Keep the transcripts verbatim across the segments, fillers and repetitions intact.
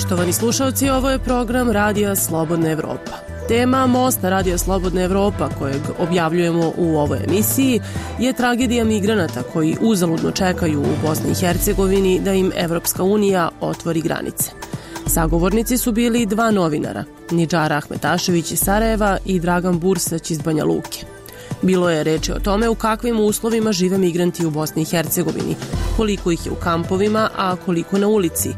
Poštovani slušalci, ovo je program Radija Slobodna Evropa. Tema Mosta Radija Slobodna Evropa, kojeg objavljujemo u ovoj emisiji, je tragedija migranata koji uzaludno čekaju u Bosni i Hercegovini da im Evropska unija otvori granice. Sagovornici su bili dva novinara, Nidžara Ahmetašević iz Sarajeva i Dragan Bursać iz Banja Luke. Bilo je reči o tome u kakvim uslovima žive migranti u Bosni i Hercegovini, koliko ih je u kampovima, a koliko na ulici,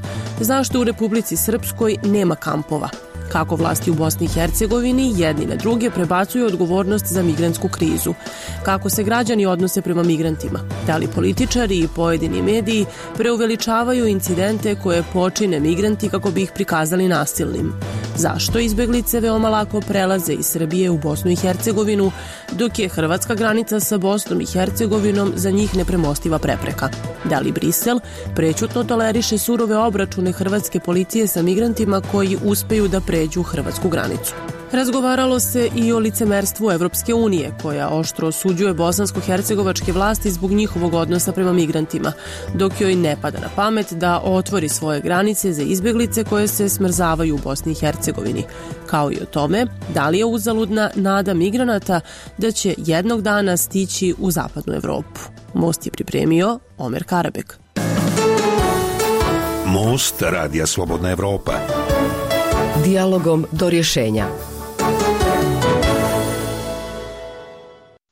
zašto u Republici Srpskoj nema kampova, kako vlasti u Bosni i Hercegovini jedni na druge prebacuju odgovornost za migrantsku krizu, kako se građani odnose prema migrantima, da li političari i pojedini mediji preuveličavaju incidente koje počine migranti kako bi ih prikazali nasilnim, zašto izbeglice veoma lako prelaze iz Srbije u Bosnu i Hercegovinu, dok je hrvatska granica sa Bosnom i Hercegovinom za njih nepremostiva prepreka. Da li Brisel prećutno toleriše surove obračune hrvatske policije sa migrantima koji uspeju da pređu hrvatsku granicu. Razgovaralo se i o licemerstvu Evropske unije, koja oštro osuđuje bosansko-hercegovačke vlasti zbog njihovog odnosa prema migrantima, dok joj ne pada na pamet da otvori svoje granice za izbeglice koje se smrzavaju u Bosni i Hercegovini, kao i o tome da li je uzaludna nada migranata da će jednog dana stići u zapadnu Evropu. Most je pripremio Omer Karabek. Most Radija Slobodna Evropa. Dijalogom do rješenja.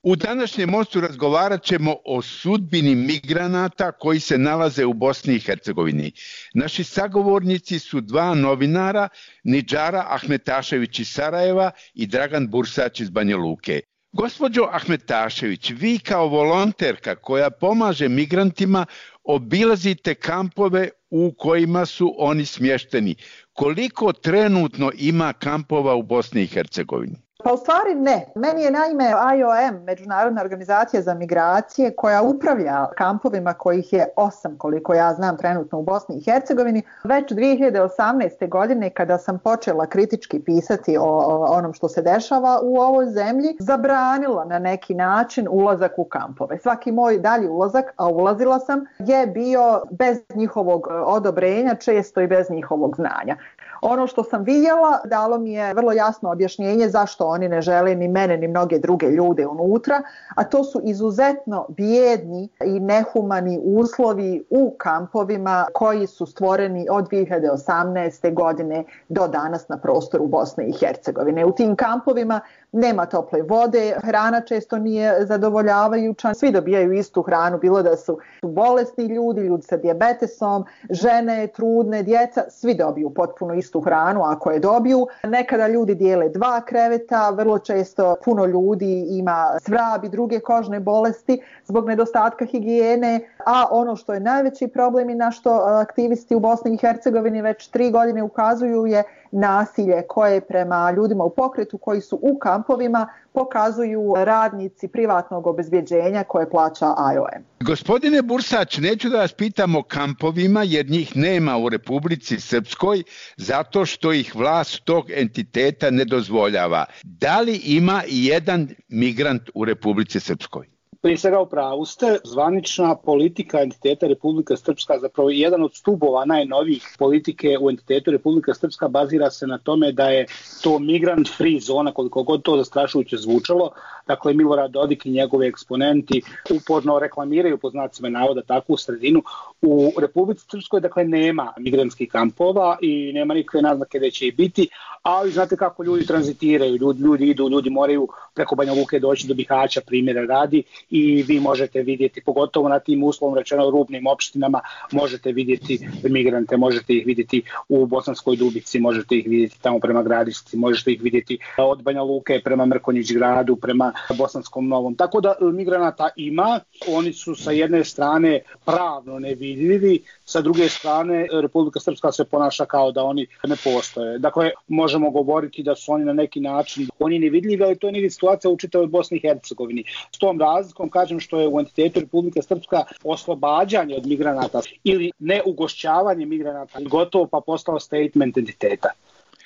U današnjem mostu razgovarat ćemo o sudbini migranata koji se nalaze u Bosni i Hercegovini. Naši sagovornici su dva novinara, Nidžara Ahmetašević iz Sarajeva i Dragan Bursać iz Banja Luke. Gospođo Ahmetašević, vi kao volonterka koja pomaže migrantima obilazite kampove u kojima su oni smješteni. Koliko trenutno ima kampova u Bosni i Hercegovini? Pa u stvari ne. Meni je naime I O M, Međunarodna organizacija za migracije, koja upravlja kampovima, kojih je osam koliko ja znam trenutno u Bosni i Hercegovini, već dvije hiljade osamnaeste. godine kada sam počela kritički pisati o, o onom što se dešava u ovoj zemlji, zabranila na neki način ulazak u kampove. Svaki moj dalji ulazak, a ulazila sam, je bio bez njihovog odobrenja, često i bez njihovog znanja. Ono što sam vidjela dalo mi je vrlo jasno objašnjenje zašto oni ne žele ni mene ni mnoge druge ljude unutra, a to su izuzetno bijedni i nehumani uslovi u kampovima koji su stvoreni od dvije hiljade osamnaeste. godine do danas na prostoru Bosne i Hercegovine. U tim kampovima nema tople vode, hrana često nije zadovoljavajuća, svi dobijaju istu hranu, bilo da su bolesni ljudi, ljudi sa dijabetesom, žene, trudne, djeca, svi dobiju potpuno istu hranu ako je dobiju. Nekada ljudi dijele dva kreveta, vrlo često puno ljudi ima svrab i druge kožne bolesti zbog nedostatka higijene, a ono što je najveći problem i na što aktivisti u Bosni i Hercegovini već tri godine ukazuju je nasilje koje prema ljudima u pokretu koji su u kampovima pokazuju radnici privatnog obezbjeđenja koje plaća I O M. Gospodine Bursać, neću da vas pitam o kampovima jer njih nema u Republici Srpskoj zato što ih vlast tog entiteta ne dozvoljava. Da li ima i jedan migrant u Republici Srpskoj? Prije svega u pravu ste, zvanična politika entiteta Republika Srpska, zapravo jedan od stubova najnovijih politike u entitetu Republika Srpska bazira se na tome da je to migrant free zona, koliko god to zastrašujuće zvučalo. Dakle, Milorad Dodik i njegovi eksponenti uporno reklamiraju po znacima navoda takvu sredinu. U Republici Srpskoj dakle nema migrantskih kampova i nema nikakve naznake da će i biti, ali znate kako ljudi tranzitiraju, ljudi, ljudi idu, ljudi moraju preko Banja Luke doći do Bihaća, primjera radi, i vi možete vidjeti, pogotovo na tim uslovno rečeno rubnim opštinama, možete vidjeti migrante, možete ih vidjeti u Bosanskoj Dubici, možete ih vidjeti tamo prema Gradišci, možete ih vidjeti od Banja Luke prema Mrkonjić gradu, prema Bosanskom Novom. Tako da migranata ima, oni su sa jedne strane pravno nevidljivi, sa druge strane Republika Srpska se ponaša kao da oni ne postoje. Dakle, možemo govoriti da su oni na neki način, oni nevidljivi, ali to je nije situacija u čitavoj Bosni i Hercegovini. S tom razlikom kažem što je u entitetu Republika Srpska oslobađanje od migranata ili neugošćavanje migranata gotovo pa postao statement entiteta.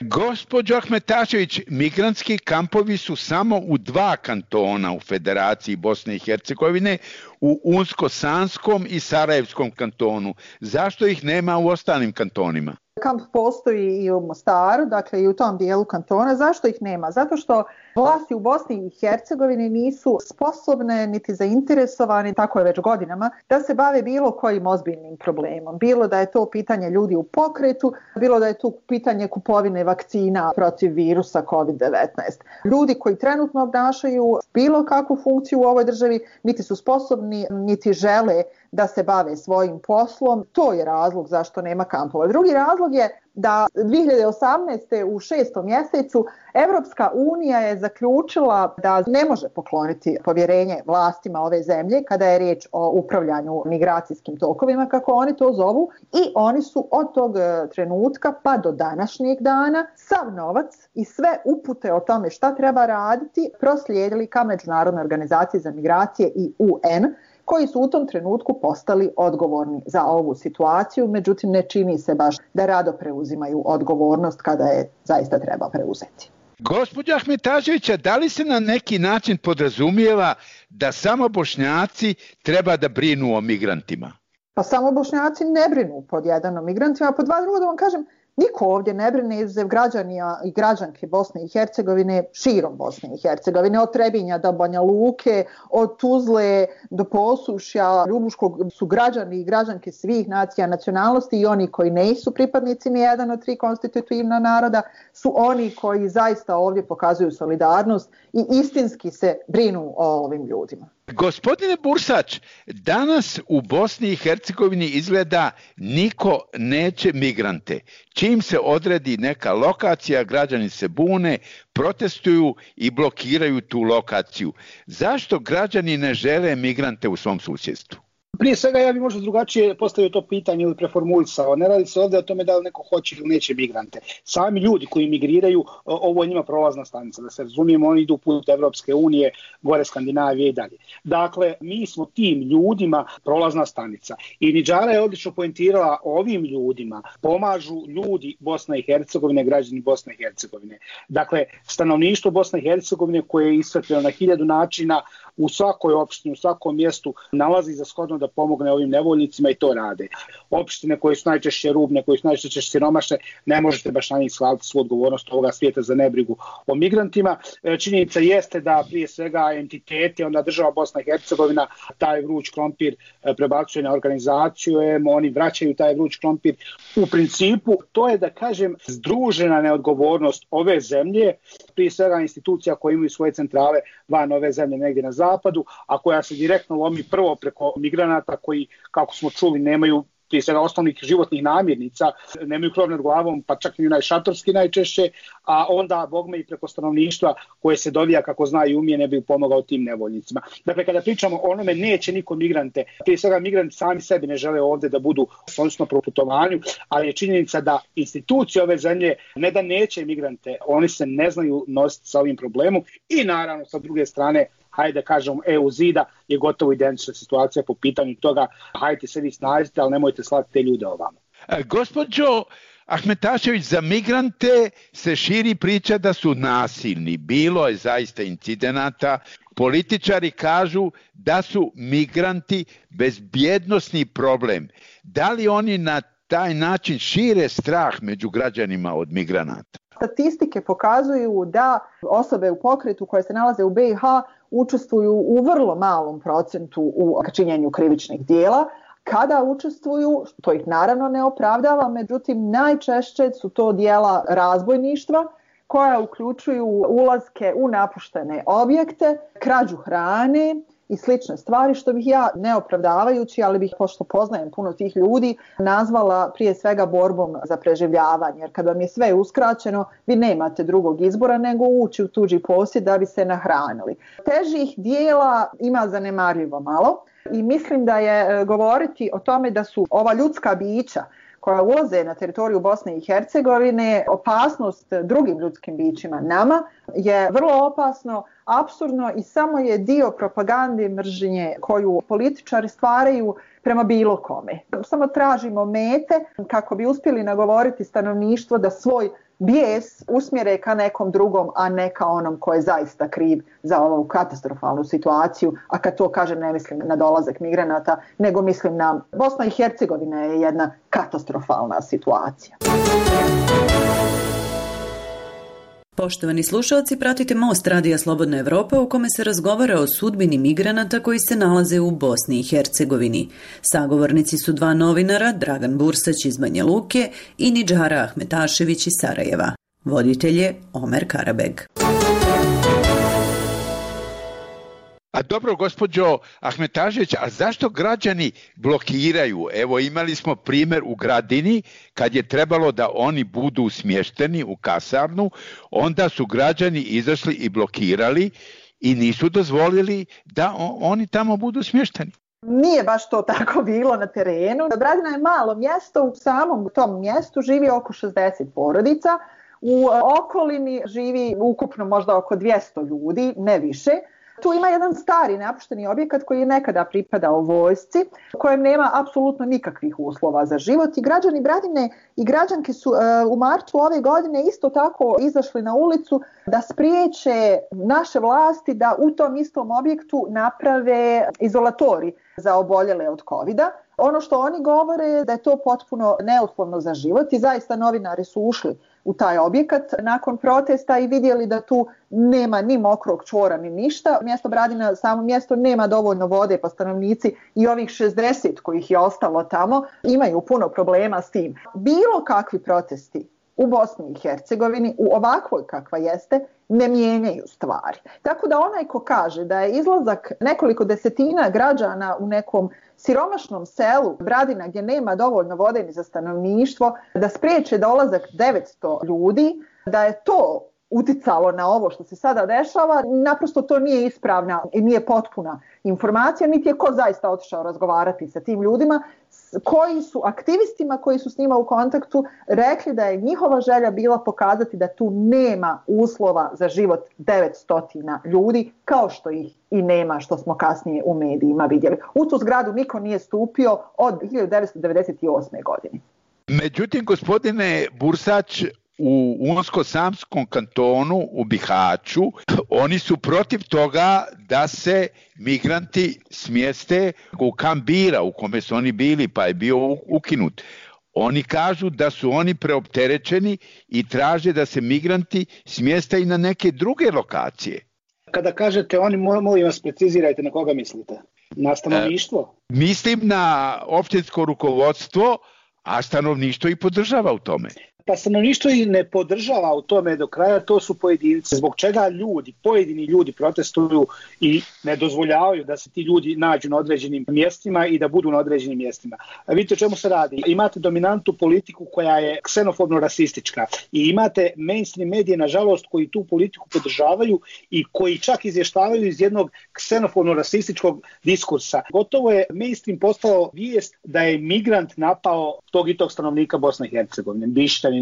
Gospođo Ahmetašević, migrantski kampovi su samo u dva kantona u Federaciji Bosne i Hercegovine, u Unsko-Sanskom i Sarajevskom kantonu. Zašto ih nema u ostalim kantonima? kamp postoji i u Mostaru, dakle i u tom dijelu kantona. Zašto ih nema? Zato što vlasti u Bosni i Hercegovini nisu sposobne niti zainteresovani, tako je već godinama, da se bave bilo kojim ozbiljnim problemom. Bilo da je to pitanje ljudi u pokretu, bilo da je to pitanje kupovine vakcina protiv virusa kovid devetnaest. Ljudi koji trenutno obnašaju bilo kakvu funkciju u ovoj državi niti su sposobni, niti žele da se bave svojim poslom. To je razlog zašto nema kampova. Drugi razlog je da dvije hiljade osamnaeste. u šestom mjesecu Evropska unija je zaključila da ne može pokloniti povjerenje vlastima ove zemlje kada je riječ o upravljanju migracijskim tokovima, kako oni to zovu, i oni su od tog trenutka pa do današnjeg dana sav novac i sve upute o tome šta treba raditi proslijedili ka Međunarodnoj organizaciji za migracije i U N, koji su u tom trenutku postali odgovorni za ovu situaciju, međutim ne čini se baš da rado preuzimaju odgovornost kada je zaista treba preuzeti. Gospođa Ahmetaševića, da li se na neki način podrazumijeva da samo Bošnjaci treba da brinu o migrantima? Pa samo Bošnjaci ne brinu pod jedan o migrantima, a pod dva drugo da vam kažem, niko ovdje ne brine izuzev građanija i građanke Bosne i Hercegovine širom Bosne i Hercegovine, od Trebinja do Banja Luke, od Tuzle do Posušja, Ljubuškog su građani i građanke svih nacija, nacionalnosti, i oni koji nisu pripadnici ni jedan od tri konstitutivna naroda su oni koji zaista ovdje pokazuju solidarnost i istinski se brinu o ovim ljudima. Gospodine Bursač, danas u Bosni i Hercegovini izgleda niko neće migrante. Čim se odredi neka lokacija, građani se bune, protestuju i blokiraju tu lokaciju. Zašto građani ne žele migrante u svom susjedstvu? Prije svega ja bih možda drugačije postavio to pitanje ili preformulisao. Ne radi se ovdje o tome da li neko hoće ili neće migrante. Sami ljudi koji migriraju, ovo je njima prolazna stanica. Da se razumijemo, oni idu put Evropske unije, gore Skandinavije i dalje. Dakle, mi smo tim ljudima prolazna stanica. I Nidžara je odlično poentirala, ovim ljudima pomažu ljudi Bosne i Hercegovine, građani Bosne i Hercegovine. Dakle, stanovništvo Bosne i Hercegovine koje je iscrpljeno na hiljadu načina, u svakoj opštini, u svakom mjestu nalazi za shodno da pomogne ovim nevoljnicima i to rade. Opštine koje su najčešće rubne, koje su najčešće siromašne, ne možete baš na njih svaliti svu odgovornost ovoga svijeta za nebrigu o migrantima. Činjenica jeste da prije svega entiteti, onda država Bosna i Hercegovina, taj vruć krompir prebacuje na organizaciju, oni vraćaju taj vruć krompir. U principu to je, da kažem, združena neodgovornost ove zemlje, prije svega institucija koje imaju svoje centrale van ove zemlje negdje na zapadu, a koja se direktno lomi prvo preko migranata koji, kako smo čuli, nemaju prije svega osnovnih životnih namirnica, nemaju krov nad glavom, pa čak i najšatorski najčešće, a onda bogme i preko stanovništva koje se dovija kako zna i umije ne bi pomogao tim nevoljnicima. Dakle, kada pričamo o onome, neće niko migrante, prije svega migranti sami sebi ne žele ovdje da budu odnosno pro putovanju, ali je činjenica da institucije ove zemlje ne da neće migrante, oni se ne znaju nositi sa ovim problemom i naravno sa druge strane, hajde kažemo, E U zida je gotovo identična situacija po pitanju toga, hajde se vi snažite, ali nemojte slati te ljude ovamo. E, gospođo Ahmetašević, za migrante se širi priča da su nasilni. Bilo je zaista incidenata. Političari kažu da su migranti bezbjednosni problem. Da li oni na taj način šire strah među građanima od migranata? Statistike pokazuju da osobe u pokretu koje se nalaze u B i H učestvuju u vrlo malom procentu u činjenju krivičnih dijela. Kada učestvuju, to ih naravno ne opravdava, međutim najčešće su to dijela razbojništva koja uključuju ulaske u napuštene objekte, krađu hrane i slične stvari, što bih ja, ne opravdavajući, ali bih, pošto poznajem puno tih ljudi, nazvala prije svega borbom za preživljavanje. Jer kad vam je sve uskraćeno, vi nemate drugog izbora nego ući u tuđi posjed da bi se nahranili. Težih dijela ima zanemarljivo malo i mislim da je govoriti o tome da su ova ljudska bića koja ulaze na teritoriju Bosne i Hercegovine opasnost drugim ljudskim bićima nama je vrlo opasno, apsurdno i samo je dio propagande mržnje koju političari stvaraju prema bilo kome. Samo tražimo mete kako bi uspjeli nagovoriti stanovništvo da svoj bijes usmjere ka nekom drugom, a ne ka onom ko je zaista kriv za ovu katastrofalnu situaciju. A kad to kažem, ne mislim na dolazak migranata, nego mislim na Bosna i Hercegovina je jedna katastrofalna situacija. Poštovani slušalci, pratite Most Radija Slobodna Evropa u kome se razgovara o sudbini migranata koji se nalaze u Bosni i Hercegovini. Sagovornici su dva novinara, Dragan Bursać iz Banja Luke i Nidžara Ahmetašević iz Sarajeva. Voditelj je Omer Karabeg. A dobro, gospođo Ahmetašević, a zašto građani blokiraju? Evo, imali smo primjer u Gradini, kad je trebalo da oni budu smješteni u kasarnu, onda su građani izašli i blokirali i nisu dozvolili da oni tamo budu smješteni. Nije baš to tako bilo na terenu. Gradina je malo mjesto, u samom tom mjestu živi oko šezdeset porodica, u okolini živi ukupno možda oko dvjesto ljudi, ne više. Tu ima jedan stari napušteni objekat koji je nekada pripadao vojsci, u kojem nema apsolutno nikakvih uslova za život i građani Gradine i građanke su uh, u martu ove godine isto tako izašli na ulicu da spriječe naše vlasti da u tom istom objektu naprave izolatori za oboljele od kovida. Ono što oni govore je da je to potpuno neuslovno za život i zaista novinari su ušli u taj objekat nakon protesta i vidjeli da tu nema ni mokrog čvora ni ništa. Mjesto Bradina, samo mjesto, nema dovoljno vode, pa stanovnici i ovih šezdeset kojih je ostalo tamo imaju puno problema s tim. Bilo kakvi protesti u Bosni i Hercegovini, u ovakvoj kakva jeste, ne mijenjaju stvari. Tako da onaj ko kaže da je izlazak nekoliko desetina građana u nekom siromašnom selu Bradina gdje nema dovoljno vode ni za stanovništvo, da spriječe dolazak devetsto ljudi, da je to uticalo na ovo što se sada dešava, naprosto to nije ispravna i nije potpuna informacija, niti je ko zaista otišao razgovarati sa tim ljudima, koji su aktivistima koji su s njima u kontaktu rekli da je njihova želja bila pokazati da tu nema uslova za život devetsto ljudi, kao što ih i nema, što smo kasnije u medijima vidjeli. U tu zgradu niko nije stupio od hiljadu devetsto devedeset osme. godine. Međutim, gospodine Bursać, u Unsko-Samskom kantonu u Bihaću, oni su protiv toga da se migranti smjeste u kamp Bira u kome su oni bili, pa je bio ukinut. Oni kažu da su oni preopterećeni i traže da se migranti smjeste i na neke druge lokacije. Kada kažete oni, molim vas precizirajte na koga mislite? Na stanovništvo? E, mislim na općinsko rukovodstvo, a stanovništvo i podržava u tome. Pa stanovništvo i ne podržava u tome do kraja, to su pojedinci. Zbog čega ljudi, pojedini ljudi protestuju i ne dozvoljavaju da se ti ljudi nađu na određenim mjestima i da budu na određenim mjestima. A vidite o čemu se radi. Imate dominantnu politiku koja je ksenofobno-rasistička i imate mainstream medije, nažalost, koji tu politiku podržavaju i koji čak izvještavaju iz jednog ksenofobno-rasističkog diskursa. Gotovo je mainstream postao vijest da je migrant napao tog i tog stanovnika Bosne i Hercegovine, Bišćanina,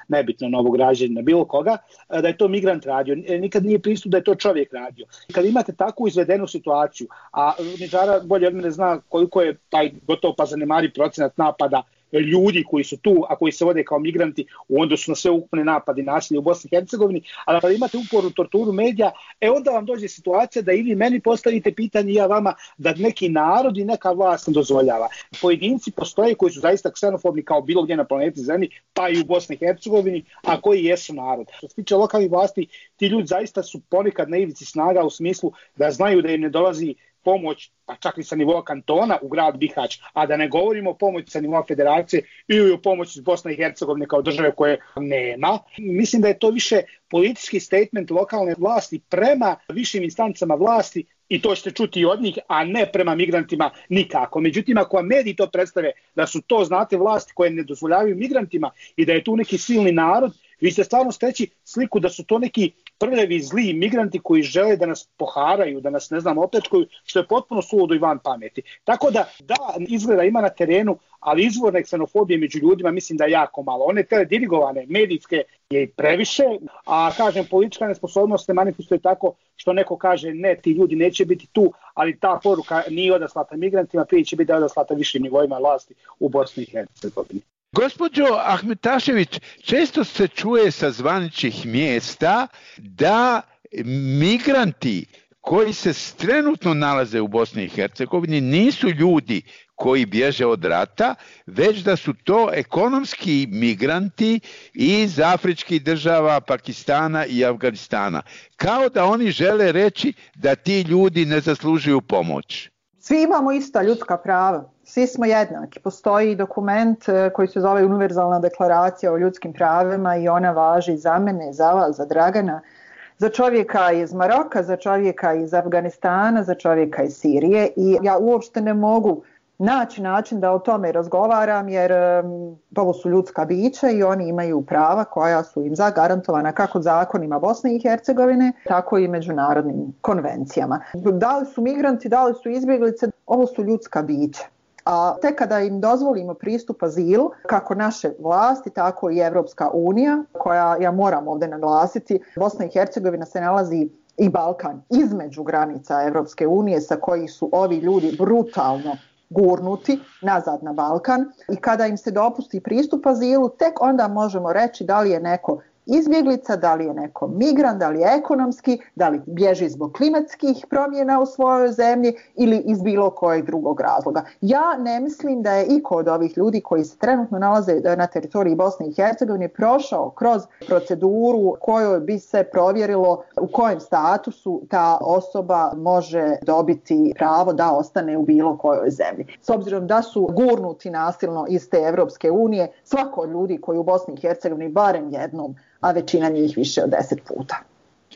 nebitno Novog Građanina, bilo koga, da je to migrant radio. Nikad nije pristup da je to čovjek radio. Kad imate takvu izvedenu situaciju, a Nidžara bolje od mene zna koliko je taj gotovo pa zanemari procenat napada ljudi koji su tu, a koji se vode kao migranti u odnosu na sve ukupne napade i nasilje u Bosni i Hercegovini, ali kada imate upornu torturu medija, e onda vam dođe situacija da i vi meni postavite pitanje i ja vama da neki narod i neka vlast ne dozvoljava. Pojedinci postoje koji su zaista ksenofobni kao bilo gdje na planeti Zemlji, pa i u Bosni i Hercegovini, a koji jesu narod. Što se tiče lokalnih vlasti, ti ljudi zaista su ponekad na ivici snaga u smislu da znaju da im ne dolazi pomoć, pa čak i sa nivoa kantona u grad Bihać, a da ne govorimo o pomoći sa nivoa federacije ili o pomoći iz Bosne i Hercegovine kao države koje nema. Mislim da je to više politički statement lokalne vlasti prema višim instancama vlasti i to ćete čuti i od njih, a ne prema migrantima nikako. Međutim, ako vam mediji to predstave da su to, znate, vlasti koje ne dozvoljavaju migrantima i da je tu neki silni narod, vi ste stvarno steći sliku da su to neki prljavi, zli migranti koji žele da nas poharaju, da nas, ne znam, opljačkaju, što je potpuno suludo i van pameti. Tako da, da, izgleda ima na terenu, ali izvorne ksenofobije među ljudima mislim da je jako malo. One teledirigovane, medijske je previše, a kažem, politička nesposobnost se manifestuje tako što neko kaže ne, ti ljudi neće biti tu, ali ta poruka nije odaslata migrantima, prije će biti da je odaslata višim nivoima vlasti u Bosni i Hercegovini. Gospođo Ahmetašević, često se čuje sa zvaničnih mjesta da migranti koji se trenutno nalaze u Bosni i Hercegovini nisu ljudi koji bježe od rata, već da su to ekonomski migranti iz afričkih država, Pakistana i Afganistana. Kao da oni žele reći da ti ljudi ne zaslužuju pomoć. Svi imamo ista ljudska prava, svi smo jednaki. Postoji dokument koji se zove Univerzalna deklaracija o ljudskim pravima i ona važi za mene, za vas, za Dragana, za čovjeka iz Maroka, za čovjeka iz Afganistana, za čovjeka iz Sirije i ja uopšte ne mogu naći način da o tome razgovaram jer um, ovo su ljudska bića i oni imaju prava koja su im zagarantovana kako zakonima Bosne i Hercegovine, tako i međunarodnim konvencijama. Da li su migranti, da li su izbjeglice, ovo su ljudska bića. A tek kada im dozvolimo pristup azilu, kako naše vlasti, tako i Evropska unija, koja, ja moram ovdje naglasiti, Bosna i Hercegovina se nalazi i Balkan između granica Evropske unije sa kojih su ovi ljudi brutalno gurnuti nazad na Balkan i kada im se dopusti pristup azilu, tek onda možemo reći da li je neko izbjeglica, da li je neko migrant, da li je ekonomski, da li bježi zbog klimatskih promjena u svojoj zemlji ili iz bilo kojeg drugog razloga. Ja ne mislim da je iko od ovih ljudi koji se trenutno nalaze na teritoriji Bosne i Hercegovine prošao kroz proceduru kojoj bi se provjerilo u kojem statusu ta osoba može dobiti pravo da ostane u bilo kojoj zemlji. S obzirom da su gurnuti nasilno iz te Evropske unije, svako od ljudi koji u Bosni i Hercegovini barem jednom, a većina njih više od deset puta.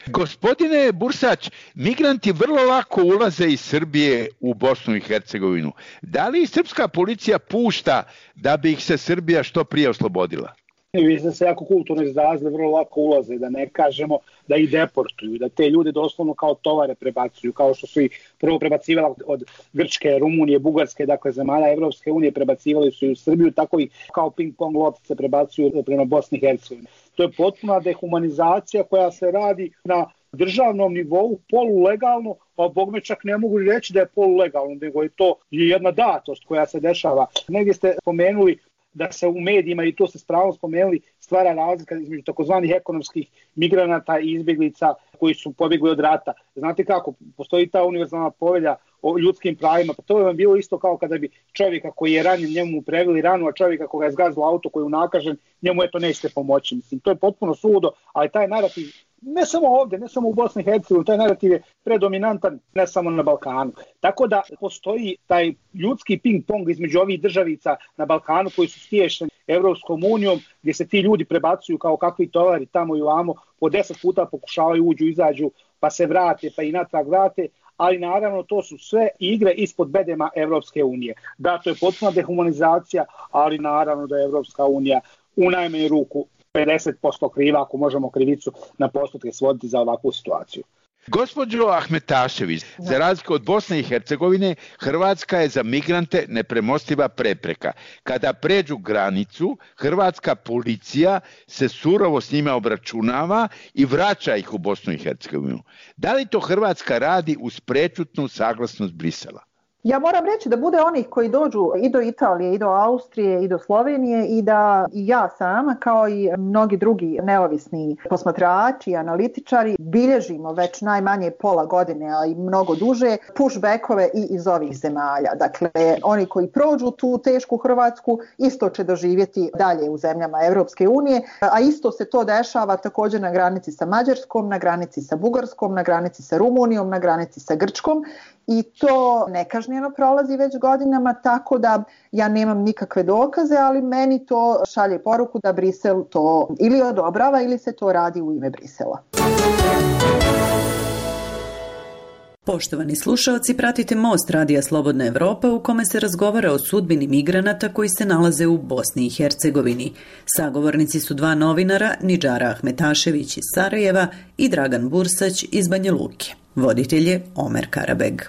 Gospodine Bursać, migranti vrlo lako ulaze iz Srbije u Bosnu i Hercegovinu. Da li srpska policija pušta da bi ih se Srbija što prije oslobodila? Vi ste se jako kulturno izrazili, vrlo lako ulaze, da ne kažemo da ih deportuju, da te ljude doslovno kao tovare prebacuju, kao što su ih prvo prebacivali od Grčke, Rumunije, Bugarske, dakle zemalja Evropske unije, prebacivali su i u Srbiju, tako i kao ping-pong loptice prebacuju prema Bosni i Hercegovini. To je potpuna dehumanizacija koja se radi na državnom nivou, polulegalno, a bogme čak ne mogu reći da je polulegalno, nego je to jedna datost koja se dešava. Negdje ste spomenuli da se u medijima, i to ste s pravom spomenuli, stvara razlika između takozvanih ekonomskih migranata i izbjeglica koji su pobjegli od rata. Znate kako, postoji ta univerzalna povelja o ljudskim pravima, pa to je vam bilo isto kao kada bi čovjeka koji je ranjen, njemu preveli ranu, a čovjeka koga je zgazilo auto koji je unakažen, njemu eto nećete pomoći. Mislim, to je potpuno suludo, ali taj narativ, ne samo ovdje, ne samo u Bosni i Hercegovini, taj narativ je predominantan ne samo na Balkanu. Tako da postoji taj ljudski ping-pong između ovih državica na Balkanu koji su stiješeni Evropskom unijom, gdje se ti ljudi prebacuju kao kakvi tovari tamo i ovamo, po deset puta pokušavaju uđu, izađu, pa se vrate, pa i natrag vrate, ali naravno to su sve igre ispod bedema Evropske unije. Da, to je potpuna dehumanizacija, ali naravno da je Evropska unija u najmanju ruku pedeset posto kriva, ako možemo krivicu na postotke svoditi za ovakvu situaciju. Gospođo Ahmetašević, za razliku od Bosne i Hercegovine, Hrvatska je za migrante nepremostiva prepreka. Kada pređu granicu, hrvatska policija se surovo s njima obračunava i vraća ih u Bosnu i Hercegovinu. Da li to Hrvatska radi uz prečutnu saglasnost Brisela? Ja moram reći da bude onih koji dođu i do Italije, i do Austrije, i do Slovenije i da i ja sama, kao i mnogi drugi neovisni posmatrači i analitičari, bilježimo već najmanje pola godine, a i mnogo duže, pushbackove i iz ovih zemalja. Dakle, oni koji prođu tu tešku Hrvatsku isto će doživjeti dalje u zemljama Evropske unije, a isto se to dešava također na granici sa Mađarskom, na granici sa Bugarskom, na granici sa Rumunijom, na granici sa Grčkom. I to nekažnjeno prolazi već godinama, tako da ja nemam nikakve dokaze, ali meni to šalje poruku da Brisel to ili odobrava ili se to radi u ime Brisela. Poštovani slušaoci, pratite Most Radija Slobodna Evropa u kome se razgovara o sudbini migranata koji se nalaze u Bosni i Hercegovini. Sagovornici su dva novinara, Nidžara Ahmetašević iz Sarajeva i Dragan Bursać iz Banja Luke. Voditelj je Omer Karabeg.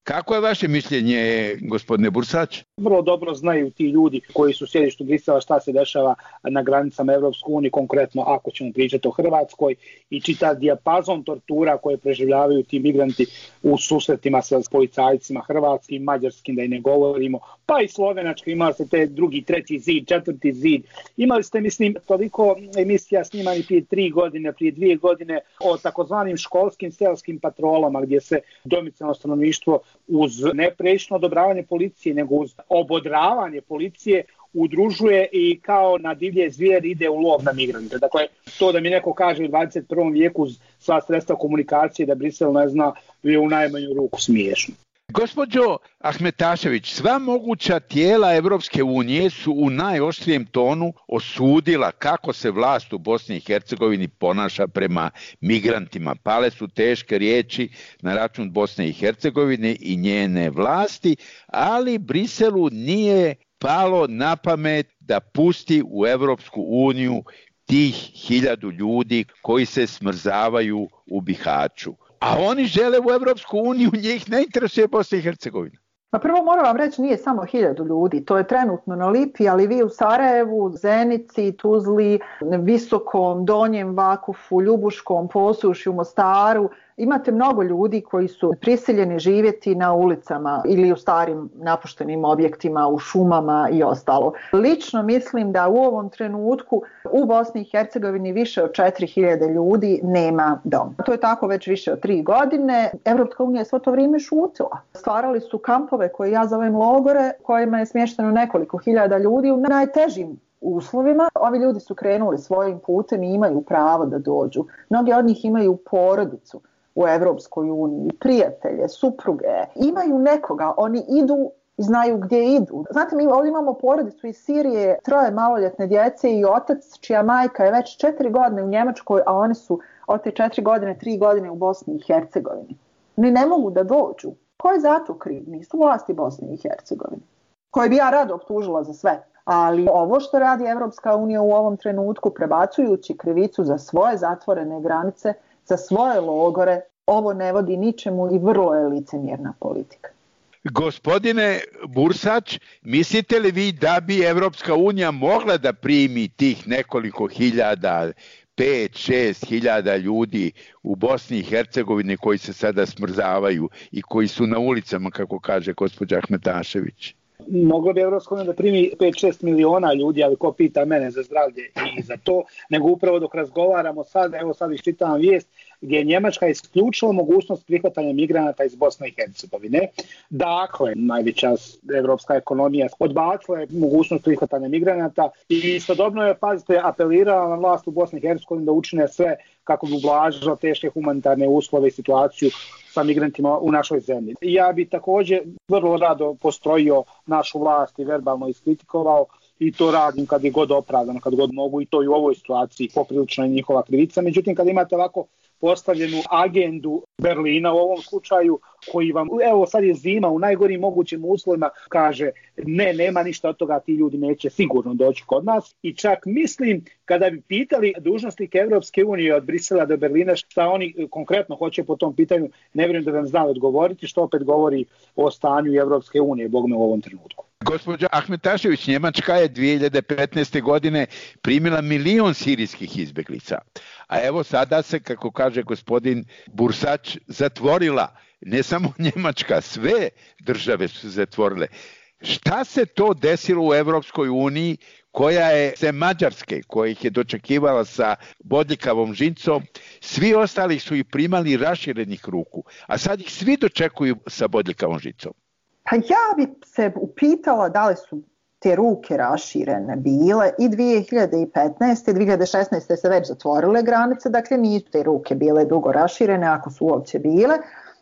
Kako je vaše mišljenje, gospodine Bursać? Vrlo dobro znaju ti ljudi koji su u sjedištu Brisela šta se dešava na granicama Evropske unije, konkretno ako ćemo pričati o Hrvatskoj, i čita dijapazon tortura koje preživljavaju ti migranti u susretima sa policajcima hrvatskim, mađarskim, da i ne govorimo, pa i slovenački, imali ste te drugi, treći zid, četvrti zid. Imali ste, mislim, toliko emisija snimani prije tri godine, prije dvije godine o takozvanim školskim selskim patrolama, gdje se domicilno stanovništvo uz neprečno odobravanje policije, nego uz obodravanje policije udružuje i kao na divlje zvijeri ide u lov na migrante. Dakle, to da mi neko kaže u dvadeset prvom vijeku uz sva sredstva komunikacije da Brisel ne zna, je u najmanju ruku smiješno. Gospođo Ahmetašević, sva moguća tijela Evropske unije su u najoštrijem tonu osudila kako se vlast u Bosni i Hercegovini ponaša prema migrantima. Pale su teške riječi na račun Bosne i Hercegovine i njene vlasti, ali Briselu nije palo na pamet da pusti u Evropsku uniju tih hiljadu ljudi koji se smrzavaju u Bihaću. A oni žele u Evropsku uniju, njih ne interesuje Bosna i Hercegovina. Pa prvo moram vam reći, nije samo hiljadu ljudi, to je trenutno na Lipi, ali vi u Sarajevu, Zenici, Tuzli, Visokom, Donjem Vakufu, Ljubuškom, Posušju, Mostaru, imate mnogo ljudi koji su prisiljeni živjeti na ulicama ili u starim napuštenim objektima, u šumama i ostalo. Lično mislim da u ovom trenutku u Bosni i Hercegovini više od četiri hiljade ljudi nema dom. To je tako već više od tri godine. Evropska unija je svo to vrijeme šutila. Stvarali su kampove koje ja zovem logore, kojima je smješteno nekoliko hiljada ljudi u najtežim uslovima. Ovi ljudi su krenuli svojim putem i imaju pravo da dođu. Mnogi od njih imaju porodicu u Evropskoj uniji, prijatelje, supruge, imaju nekoga, oni idu i znaju gdje idu. Znate, mi ovdje imamo porodicu iz Sirije, troje maloljetne djece i otac čija majka je već četiri godine u Njemačkoj, a oni su od te četiri godine, tri godine u Bosni i Hercegovini. Ni ne mogu da dođu. Ko je za to kriv? Nisu vlasti Bosne i Hercegovine, koje bi ja rado optužila za sve. Ali ovo što radi Evropska unija u ovom trenutku, prebacujući krivicu za svoje zatvorene granice, za svoje logore, ovo ne vodi ničemu i vrlo je licemjerna politika. Gospodine Bursać, mislite li vi da bi Evropska unija mogla da primi tih nekoliko hiljada, pet, šest hiljada ljudi u Bosni i Hercegovini koji se sada smrzavaju i koji su na ulicama, kako kaže gospođa Ahmetašević? Moglo bi Evropska unija da primi pet šest miliona ljudi, ali ko pita mene za zdravlje i za to, nego upravo dok razgovaramo sad, evo sad iščitavam vijest, gdje je Njemačka isključila mogućnost prihvatanja migranata iz Bosne i Hercegovine. Dakle, najveća evropska ekonomija odbacila je mogućnost prihvatanja migranata i istodobno je, pazite, apelirala na vlast u Bosni i Hercegovini da učine sve kako bi ublažila teške humanitarne uslove i situaciju sa migrantima u našoj zemlji. Ja bi također vrlo rado postrojio našu vlast i verbalno iskritikovao, i to radim kad je god opravdano, kad god mogu, i to i u ovoj situaciji poprilično je njihova krivica. Međutim, kad imate ovako postavljenu agendu Berlina u ovom slučaju, koji vam, evo sad je zima, u najgorim mogućim uslovima, kaže ne, nema ništa od toga, ti ljudi neće sigurno doći kod nas. I čak mislim, kada bi pitali dužnosnike Evropske unije od Brisela do Berlina šta oni konkretno hoće po tom pitanju, ne vjerujem da vam znali odgovoriti, što opet govori o stanju Evropske unije, bogme, u ovom trenutku. Gospođa Ahmetašević, Njemačka je dvije hiljade petnaeste. godine primila milion sirijskih izbjeglica. A evo sada se, kako kaže gospodin Bursać, zatvorila. Ne samo Njemačka, sve države su zatvorile. Šta se to desilo u Evropskoj uniji, koja je se Mađarske, koja ih je dočekivala sa bodljikavom žincom, svi ostali su ih primali raširenih ruku, a sad ih svi dočekuju sa bodljikavom žincom? Pa ja bi se upitala da li su te ruke raširene bile i dvije hiljade petnaeste. i dvije hiljade šesnaeste. se već zatvorile granice, dakle nisu te ruke bile dugo raširene, ako su uopće bile.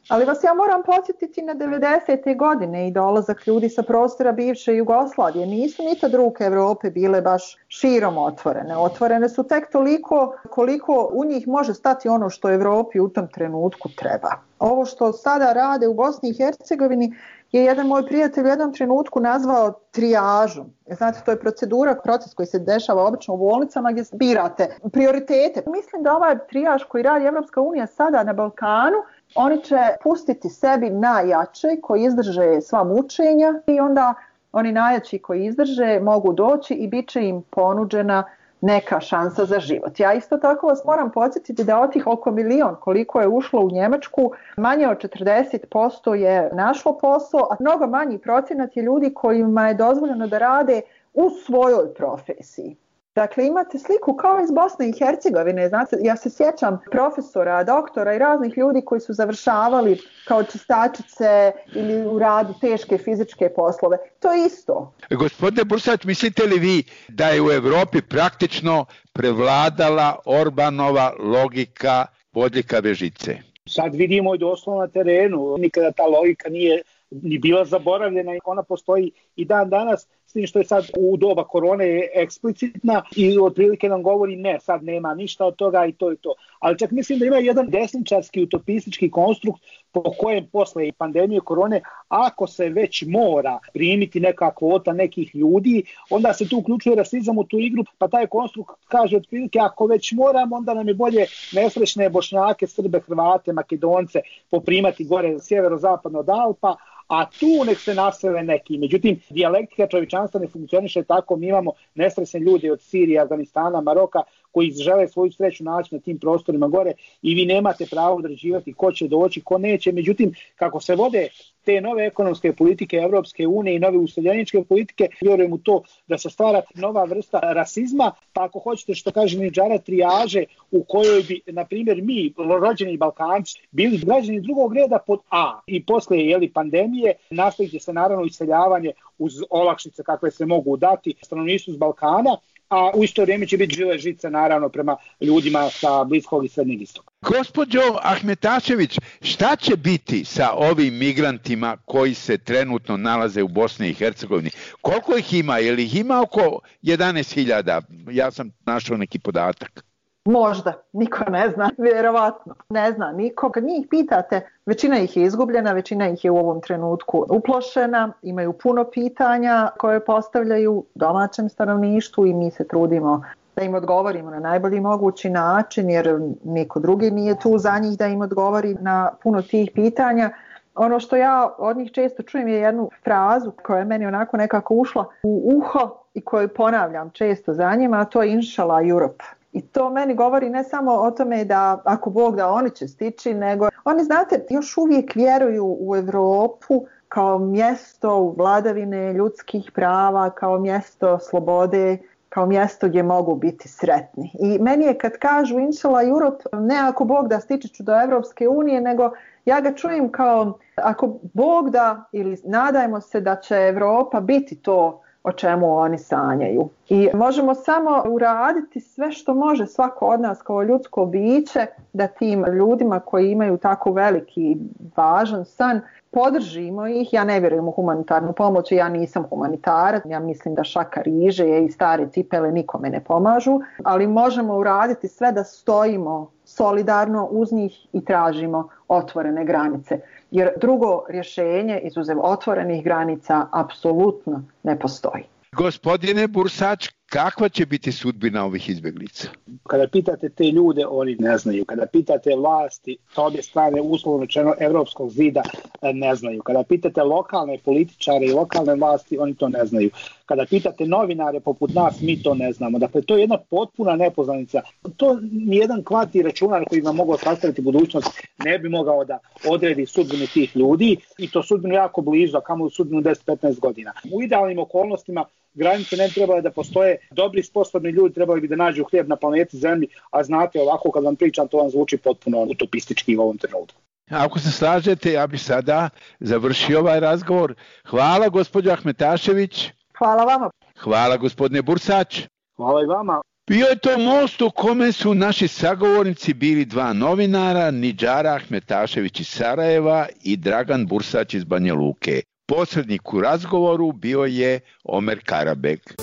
Ali vas ja moram podsjetiti na devedesete godine i dolazak ljudi sa prostora bivše Jugoslavije. Nisu ni tad ruke Evrope bile baš širom otvorene. Otvorene su tek toliko koliko u njih može stati ono što Evropi u tom trenutku treba. Ovo što sada rade u Bosni i Hercegovini je jedan moj prijatelj u jednom trenutku nazvao trijažom. Znate, to je procedura, proces koji se dešava obično u bolnicama gdje birate prioritete. Mislim da ovaj trijaž koji radi Evropska unija sada na Balkanu, oni će pustiti sebi najjače koji izdrže sva mučenja i onda oni najjači koji izdrže mogu doći i bit će im ponuđena neka šansa za život. Ja isto tako vas moram podsjetiti da od tih oko milion koliko je ušlo u Njemačku, manje od četrdeset posto je našlo posao, a mnogo manji procenat je ljudi kojima je dozvoljeno da rade u svojoj profesiji. Dakle, imate sliku kao iz Bosne i Hercegovine. Znate, ja se sjećam profesora, doktora i raznih ljudi koji su završavali kao čistačice ili u radu teške fizičke poslove. To je isto. Gospodine Bursać, mislite li vi da je u Evropi praktično prevladala Orbanova logika bodljikave žice? Sad vidimo i doslovno na terenu. Nikada ta logika nije ni bila zaboravljena i ona postoji i dan danas, s tim što je sad u doba korone je eksplicitna i otprilike nam govori ne, sad nema ništa od toga i to i to. Ali čak mislim da ima jedan desničarski utopistički konstrukt po kojem posle pandemije korone, ako se već mora primiti neka kvota nekih ljudi, onda se tu uključuje rasizam u tu igru, pa taj konstrukt kaže otprilike ako već moramo, onda nam je bolje nesrećne Bošnjake, Srbe, Hrvate, Makedonce poprimati gore sjeverozapadno od Alpa, a tu nek se nasele neki. Međutim, dijalektika čovječanstva ne funkcioniše tako. Mi imamo nesrećne ljude od Sirije, Afganistana, Maroka koji žele svoju sreću naći na tim prostorima gore i vi nemate pravo određivati ko će doći, ko neće. Međutim, kako se vode te nove ekonomske politike Evropske unije i nove useljeničke politike, vjerujem u to da se stvara nova vrsta rasizma, pa ako hoćete što kaže Nidžara trijaže u kojoj bi, na primjer, mi, rođeni Balkanci, bili građani drugog reda pod A i posle jeli, pandemije nastaviti se naravno iseljavanje uz olakšice kakve se mogu dati stanovništvu s Balkana, a u isto vrijeme će biti žile žice naravno prema ljudima sa Bliskog i Srednjeg istoka. Gospođo Ahmetašević, šta će biti sa ovim migrantima koji se trenutno nalaze u Bosni i Hercegovini? Koliko ih ima? Je li ih ima oko jedanaest hiljada? Ja sam našao neki podatak. Možda, niko ne zna, vjerovatno ne zna niko. Kad njih pitate, većina ih je izgubljena, većina ih je u ovom trenutku uplošena, imaju puno pitanja koje postavljaju domaćem stanovništvu i mi se trudimo da im odgovorimo na najbolji mogući način jer niko drugi nije tu za njih da im odgovori na puno tih pitanja. Ono što ja od njih često čujem je jednu frazu koja je meni onako nekako ušla u uho i koju ponavljam često za njima, a to je Inshallah Europe. I to meni govori ne samo o tome da ako Bog da oni će stići, nego oni, znate, još uvijek vjeruju u Europu kao mjesto vladavine ljudskih prava, kao mjesto slobode, kao mjesto gdje mogu biti sretni. I meni je kad kažu Inshallah Europe, ne ako Bog da stići ću do Evropske unije, nego ja ga čujem kao ako Bog da ili nadajmo se da će Europa biti to o čemu oni sanjaju. I možemo samo uraditi sve što može svako od nas kao ljudsko biće da tim ljudima koji imaju tako veliki i važan san podržimo ih. Ja ne vjerujem u humanitarnu pomoć, ja nisam humanitarac, ja mislim da šaka riže i stare cipele nikome ne pomažu, ali možemo uraditi sve da stojimo solidarno uz njih i tražimo otvorene granice. Jer drugo rješenje izuzev otvorenih granica apsolutno ne postoji. Gospodine Bursać, kakva će biti sudbina ovih izbjeglica? Kada pitate te ljude, oni ne znaju. Kada pitate vlasti, sa obje strane uslovno rečeno evropskog zida, ne znaju. Kada pitate lokalne političare i lokalne vlasti, oni to ne znaju. Kada pitate novinare poput nas, mi to ne znamo. Dakle, to je jedna potpuna nepoznanica. To nijedan kvantni računar koji vam mogao sastaviti budućnost ne bi mogao da odredi sudbinu tih ljudi i to sudbinu jako blizu, a kamo u sudbinu deset do petnaest godina. U idealnim okolnostima granice ne trebaju da postoje, dobri sposobni ljudi trebali bi da nađu hljeb na planeti Zemlji, a znate ovako kad vam pričam to vam zvuči potpuno utopistički u ovom trenutku. Ako se slažete, ja bih sada završio ovaj razgovor. Hvala gospođo Ahmetašević. Hvala vama. Hvala gospodine Bursać. Hvala i vama. Bio je to most u kome su naši sagovornici bili dva novinara, Nidžara Ahmetašević iz Sarajeva i Dragan Bursać iz Banja Luke. Posrednik u razgovoru bio je Omer Karabek.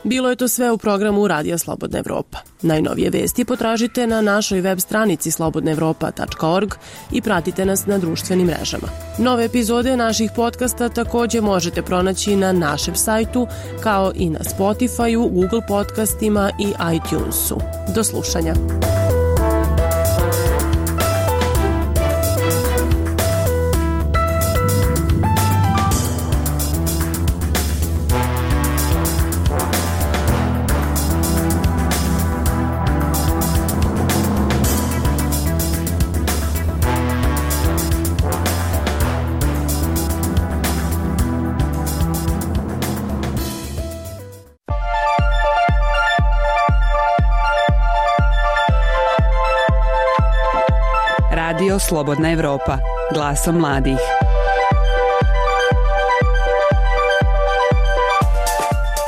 Bilo je to sve u programu Radija Slobodna Evropa. Najnovije vesti potražite na našoj web stranici slobodna evropa tačka org i pratite nas na društvenim mrežama. Nove epizode naših podcasta također možete pronaći na našem sajtu, kao i na Spotify-u, Google podcastima i iTunesu. Do slušanja. Radio Slobodna Evropa, glasom mladih.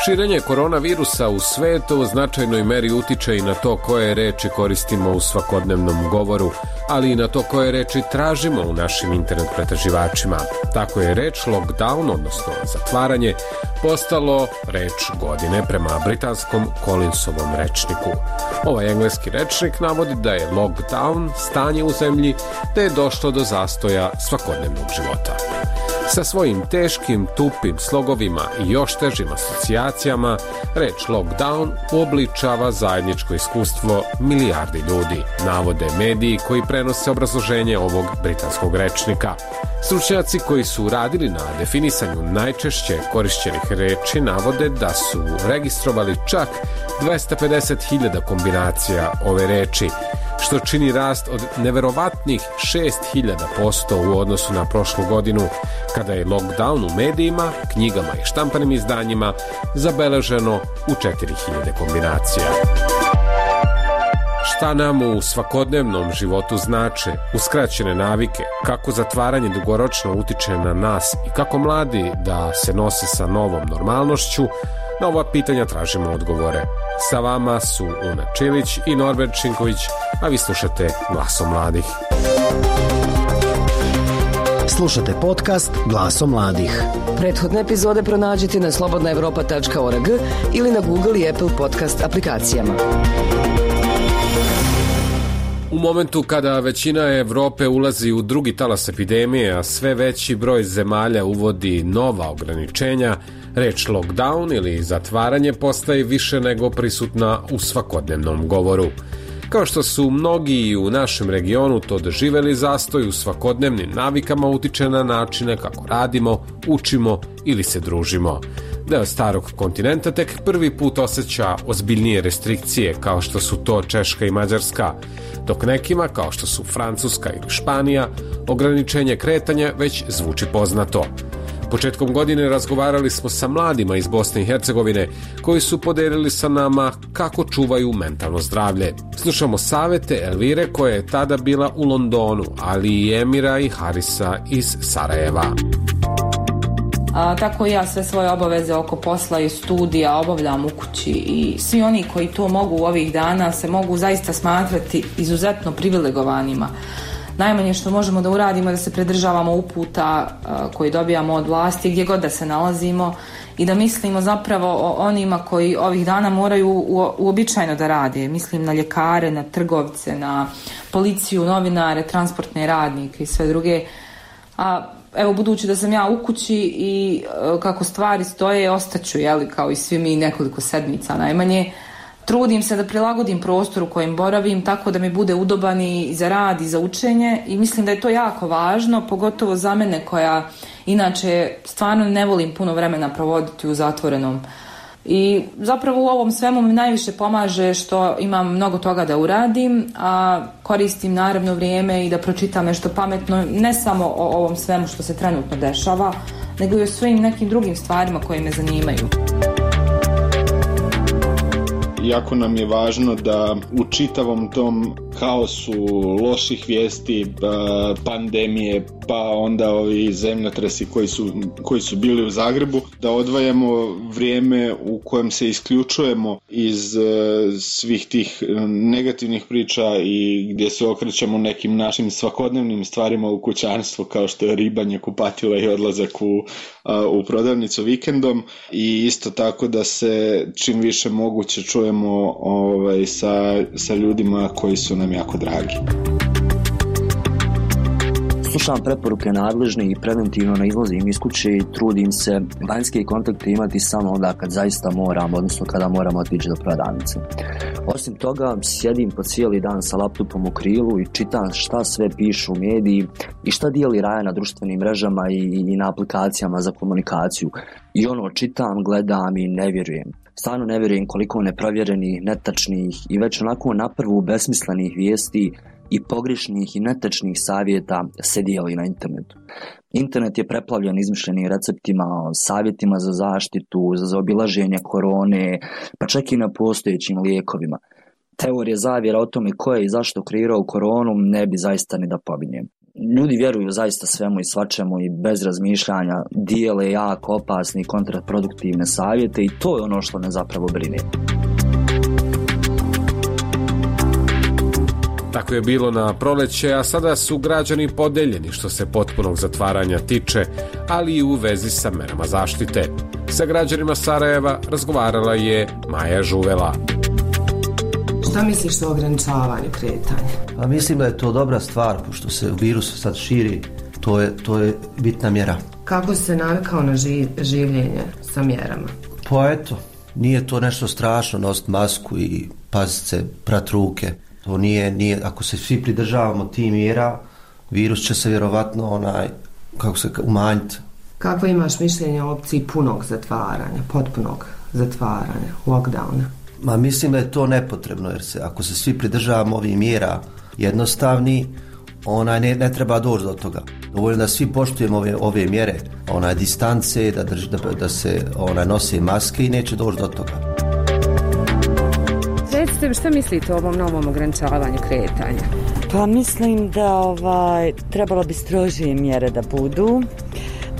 Širenje koronavirusa u svetu u značajnoj meri utiče i na to koje reči koristimo u svakodnevnom govoru, ali i na to koje reči tražimo u našim internet pretraživačima. Tako je reč lockdown, odnosno zatvaranje, postalo reč godine prema britanskom Collinsovom rečniku. Ovaj engleski rečnik navodi da je lockdown stanje u zemlji da je došlo do zastoja svakodnevnog života. Sa svojim teškim, tupim slogovima i još težim asocijacijama, reč lockdown uobličava zajedničko iskustvo milijardi ljudi, navode mediji koji prenose obrazloženje ovog britanskog rečnika. Stručnjaci koji su radili na definisanju najčešće korišćenih reči navode da su registrovali čak dvesta pedeset hiljada kombinacija ove reči, što čini rast od neverovatnih šest hiljada posto u odnosu na prošlu godinu, kada je lockdown u medijima, knjigama i štampanim izdanjima zabeleženo u četiri hiljade kombinacija. Šta nam u svakodnevnom životu znače uskraćene navike, kako zatvaranje dugoročno utiče na nas i kako mladi da se nose sa novom normalnošću, na ova pitanja tražimo odgovore. Sa vama su Una Čilić i Norbert Činković, a vi slušate Glasom mladih. Slušate podcast Glasom mladih. Prethodne epizode pronađite na slobodna evropa tačka org ili na Google i Apple podcast aplikacijama. U momentu kada većina Evrope ulazi u drugi talas epidemije, a sve veći broj zemalja uvodi nova ograničenja, reč lockdown ili zatvaranje postaje više nego prisutna u svakodnevnom govoru. Kao što su mnogi u našem regionu to doživeli, zastoj u svakodnevnim navikama utiče na načine kako radimo, učimo ili se družimo. Deo starog kontinenta tek prvi put osjeća ozbiljnije restrikcije, kao što su to Češka i Mađarska, dok nekima, kao što su Francuska ili Španija, ograničenje kretanja već zvuči poznato. Početkom godine razgovarali smo sa mladima iz Bosne i Hercegovine koji su podelili sa nama kako čuvaju mentalno zdravlje. Slušamo savete Elvire koja je tada bila u Londonu, ali i Emira i Harisa iz Sarajeva. A, tako ja sve svoje obaveze oko posla i studija obavljam u kući i svi oni koji to mogu ovih dana se mogu zaista smatrati izuzetno privilegovanima. Najmanje što možemo da uradimo je da se pridržavamo uputa a, koji dobijamo od vlasti gdje god da se nalazimo i da mislimo zapravo o onima koji ovih dana moraju u, uobičajeno da rade. Mislim na ljekare, na trgovce, na policiju, novinare, transportne radnike i sve druge. A evo, budući da sam ja u kući i e, kako stvari stoje, ostaću, jeli, kao i svi mi nekoliko sedmica najmanje. Trudim se da prilagodim prostor u kojem boravim tako da mi bude udoban i za rad i za učenje i mislim da je to jako važno, pogotovo za mene koja inače stvarno ne volim puno vremena provoditi u zatvorenom. I zapravo u ovom svemu mi najviše pomaže što imam mnogo toga da uradim, a koristim naravno vrijeme i da pročitam nešto pametno, ne samo o ovom svemu što se trenutno dešava, nego i o svojim nekim drugim stvarima koje me zanimaju. Jako nam je važno da u čitavom tom haosu loših vijesti, pandemije, pa onda ovi zemljotresi koji su, koji su bili u Zagrebu, da odvajamo vrijeme u kojem se isključujemo iz svih tih negativnih priča i gdje se okrećemo nekim našim svakodnevnim stvarima u kućanstvu, kao što je ribanje, kupatila i odlazak u, u prodavnicu vikendom, i isto tako da se čim više moguće čujemo ovaj, sa, sa ljudima koji su nam jako dragi. Slušam preporuke nadležnih i preventivno ne izlazim iz kuće i trudim se vanjske kontakte imati samo onda kad zaista moram, odnosno kada moramo otići do prodavnice. Osim toga, sjedim po cijeli dan sa laptopom u krilu i čitam šta sve pišu mediji i šta dijeli Raja na društvenim mrežama i, i na aplikacijama za komunikaciju. I ono, čitam, gledam i ne vjerujem. Stvarno ne vjerujem koliko neprovjerenih, netačnih i već onako naprvu besmislenih vijesti i pogrešnih i netačnih savjeta se dijeli na internetu. Internet je preplavljen izmišljenim receptima, savjetima za zaštitu, za zaobilaženje korone, pa čak i na postojećim lijekovima. Teorije zavjera o tome ko je i zašto kreirao koronu ne bi zaista ni da pominjem. Ljudi vjeruju zaista svemu i svačemu i bez razmišljanja dijele jako opasne i kontraproduktivne savjete i to je ono što me zapravo brine. Tako je bilo na proleće, a sada su građani podeljeni što se potpunog zatvaranja tiče, ali i u vezi sa merama zaštite. Sa građanima Sarajeva razgovarala je Maja Žuvela. Šta misliš o ograničavanju kretanja? Pa mislim da je to dobra stvar, pošto se virus sad širi, to je, to je bitna mjera. Kako si se navikao na živ, življenje sa mjerama? Pa eto, nije to nešto strašno nositi masku i paziti se, prat ruke. To nije, nije, ako se svi pridržavamo tih mjera, virus će se vjerovatno onaj, kako se umanjiti. Kako imaš mišljenje o opciji punog zatvaranja, potpunog zatvaranja, lockdowna? Ma mislim da je to nepotrebno, jer se ako se svi pridržavamo ovih mjera jednostavni, onaj ne, ne treba doći do toga. Dovoljno da svi poštujemo ove, ove mjere, onaj distance, da, drž, da, da se onaj nose maske i neće doći do toga. Recite, šta mislite o ovom novom ograničavanju kretanja? Pa mislim da ovaj, trebalo bi strožije mjere da budu.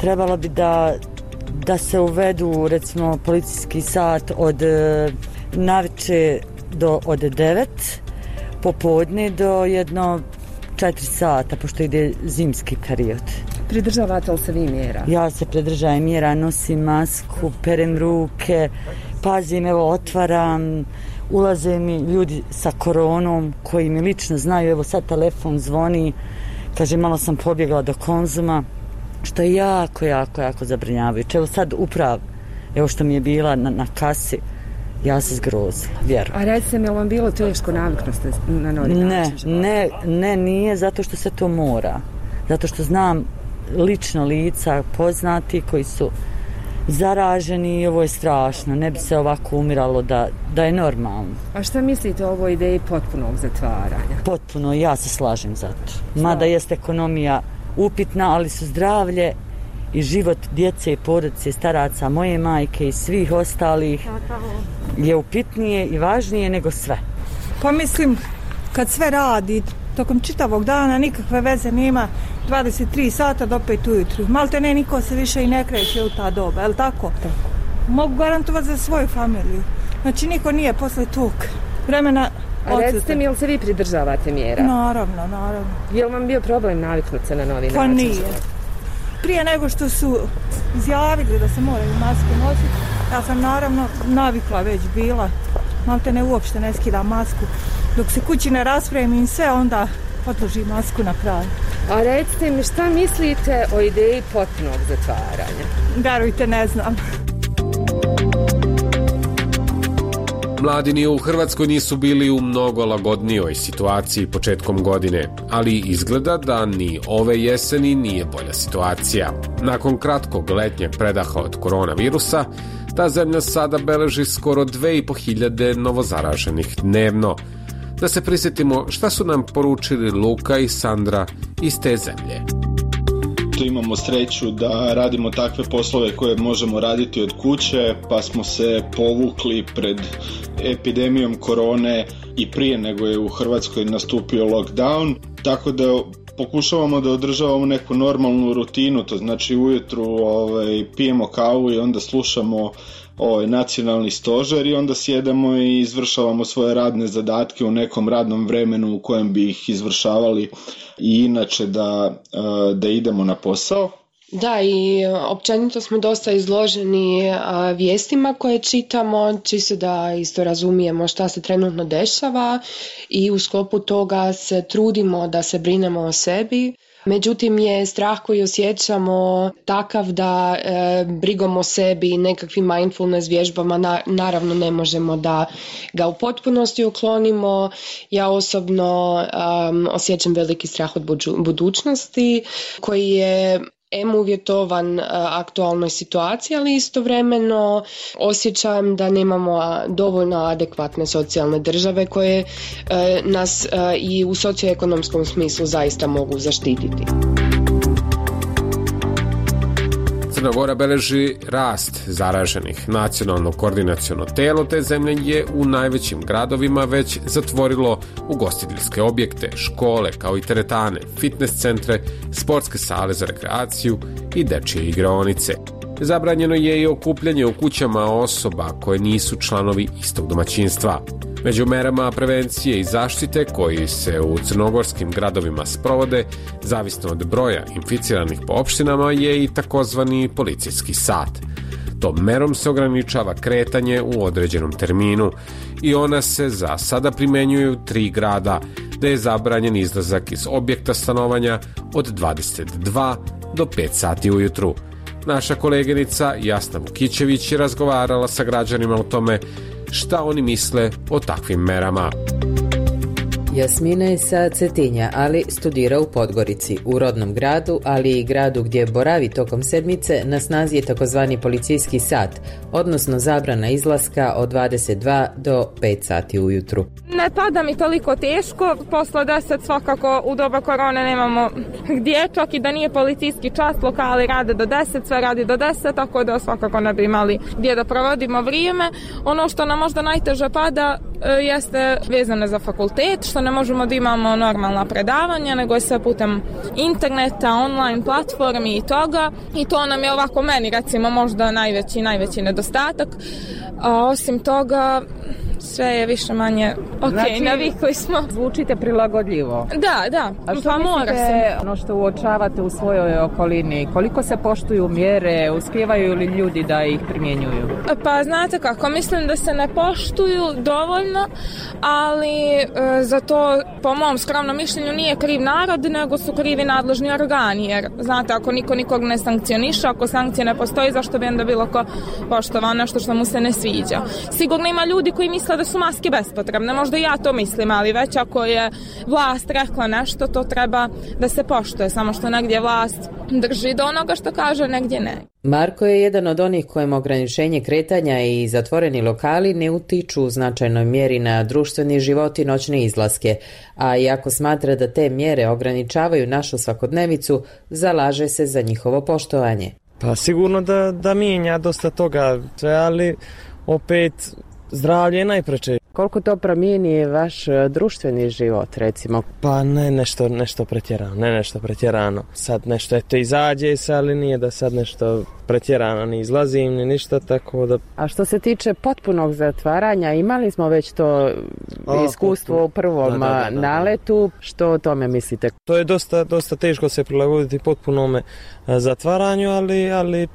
Trebalo bi da, da se uvedu recimo policijski sat od navečer do od devet, popodne do jedno četiri sata, pošto ide zimski period. Pridržavate li se vi mjera? Ja se pridržavam mjera, nosim masku, perem ruke, pazim, evo otvaram, ulaze mi ljudi sa koronom koji mi lično znaju, evo sad telefon zvoni, kaže malo sam pobjegla do Konzuma, što je jako, jako, jako zabrinjavajuće. Evo sad uprav, evo što mi je bila na, na kasi, ja se zgrozila, vjerujem. A recite mi, je li vam bilo teško naviknuti na novi način? Ne, ne, ne, nije zato što se to mora. Zato što znam lično lica poznati koji su zaraženi i ovo je strašno. Ne bi se ovako umiralo da, da je normalno. A šta mislite o ovoj ideji potpunog zatvaranja? Potpuno, ja se slažem za to. Mada jest ekonomija upitna, ali su zdravlje i život djece i porodice, staraca, moje majke i svih ostalih je upitnije i važnije nego sve. Pa mislim, kad sve radi tokom čitavog dana, nikakve veze nema, dvadeset tri sata do pet ujutru. Malte ne, niko se više i ne kreće u ta doba, je li tako? tako? Mogu garantovati za svoju familiju. Znači, niko nije posle tog vremena. A recite mi, jel se vi pridržavate mjera? Naravno, naravno. Je li vam bio problem naviknuti se na novi pa način? Pa nije. Prije nego što su izjavili da se moraju maske nositi, ja sam naravno navikla već bila. Malte ne, uopšte ne skidam masku. Dok se kući ne raspremim sve, onda odložim masku na kraju. A recite mi, šta mislite o ideji potpunog zatvaranja? Verujte, ne znam. Mladi ni u Hrvatskoj nisu bili u mnogo lagodnijoj situaciji početkom godine, ali izgleda da ni ove jeseni nije bolja situacija. Nakon kratkog letnjeg predaha od koronavirusa, ta zemlja sada beleži skoro dve i po hiljade novozaraženih dnevno. Da se prisjetimo šta su nam poručili Luka i Sandra iz te zemlje. Eto, imamo sreću da radimo takve poslove koje možemo raditi od kuće, pa smo se povukli pred epidemijom korone i prije nego je u Hrvatskoj nastupio lockdown, tako da pokušavamo da održavamo neku normalnu rutinu, to znači ujutru ovaj, pijemo kavu i onda slušamo ovaj, nacionalni stožer i onda sjedamo i izvršavamo svoje radne zadatke u nekom radnom vremenu u kojem bi ih izvršavali i inače da, da idemo na posao. Da, i općenito smo dosta izloženi a, vijestima koje čitamo, čisto da isto razumijemo šta se trenutno dešava i u sklopu toga se trudimo da se brinemo o sebi. Međutim je strah koji osjećamo takav da e, brigom o sebi i nekakvim mindfulness vježbama na, naravno ne možemo da ga u potpunosti uklonimo. Ja osobno um, osjećam veliki strah od buđu, budućnosti koji je em uvjetovan aktualnoj situaciji, ali istovremeno osjećam da nemamo dovoljno adekvatne socijalne države koje nas i u socioekonomskom smislu zaista mogu zaštititi. Crna Gora beleži rast zaraženih. Nacionalno koordinaciono telo te zemlje je u najvećim gradovima već zatvorilo ugostiteljske objekte, škole kao i teretane, fitness centre, sportske sale za rekreaciju i dečje igraonice. Zabranjeno je i okupljanje u kućama osoba koje nisu članovi istog domaćinstva. Među merama prevencije i zaštite koji se u crnogorskim gradovima sprovode, zavisno od broja inficiranih po opštinama, je i takozvani policijski sat. Tom merom se ograničava kretanje u određenom terminu i ona se za sada primenjuju u tri grada, da je zabranjen izlazak iz objekta stanovanja od dvadeset dva do pet sati ujutru. Naša koleginica Jasna Vukićević je razgovarala sa građanima o tome šta oni misle o takvim merama. Jasmina je sa Cetinja, ali studira u Podgorici, u rodnom gradu, ali i gradu gdje boravi tokom sedmice. Na snazi je takozvani policijski sat, odnosno zabrana izlaska od dvadeset dva do pet sati ujutru. Ne pada mi toliko teško, posle deset svakako u doba korone nemamo gdje, čak i da nije policijski čas, lokali rade do deset, sve radi do deset, tako da svakako ne bi imali gdje da provodimo vrijeme. Ono što nam možda najteže pada jeste vezano za fakultet, što ne možemo da imamo normalna predavanja, nego je sve putem interneta, online platformi i toga. I to nam je ovako meni recimo možda najveći, najveći nedostatak. A osim toga, sve je više manje ok, znači, navikli smo. Zvučite prilagodljivo. Da, da, a što pa mora se. Ono što uočavate u svojoj okolini, koliko se poštuju mjere, uspijevaju li ljudi da ih primjenjuju? Pa znate kako, mislim da se ne poštuju dovoljno, ali e, za to po mom skromnom mišljenju nije kriv narod, nego su krivi nadležni organi, jer znate, ako niko nikog ne sankcioniše, ako sankcije ne postoji, zašto bi onda bilo ko poštovao nešto što mu se ne sviđa. Sigurno ima ljudi koji misle da su maske bespotrebne, možda i ja to mislim, ali već ako je vlast rekla nešto, to treba da se poštuje, samo što negdje vlast drži do onoga što kaže, negdje ne. Marko je jedan od onih kojima ograničenje kretanja i zatvoreni lokali ne utiču u značajnoj mjeri na društveni život i noćne izlaske, a iako smatra da te mjere ograničavaju našu svakodnevicu, zalaže se za njihovo poštovanje. Pa sigurno da, da mijenja dosta toga, ali opet zdravlje je najpreče. Koliko to promijeni vaš društveni život, recimo? Pa ne nešto, nešto pretjerano, ne nešto pretjerano. Sad nešto eto izađe se, ali nije da sad nešto pretjerano, ni izlazim, ni ništa, tako da... A što se tiče potpunog zatvaranja, imali smo već to o, iskustvo potpuno. U prvom da, da, da, da. naletu, što o tome mislite? To je dosta, dosta teško se prilagoditi potpunome zatvaranju, ali, ali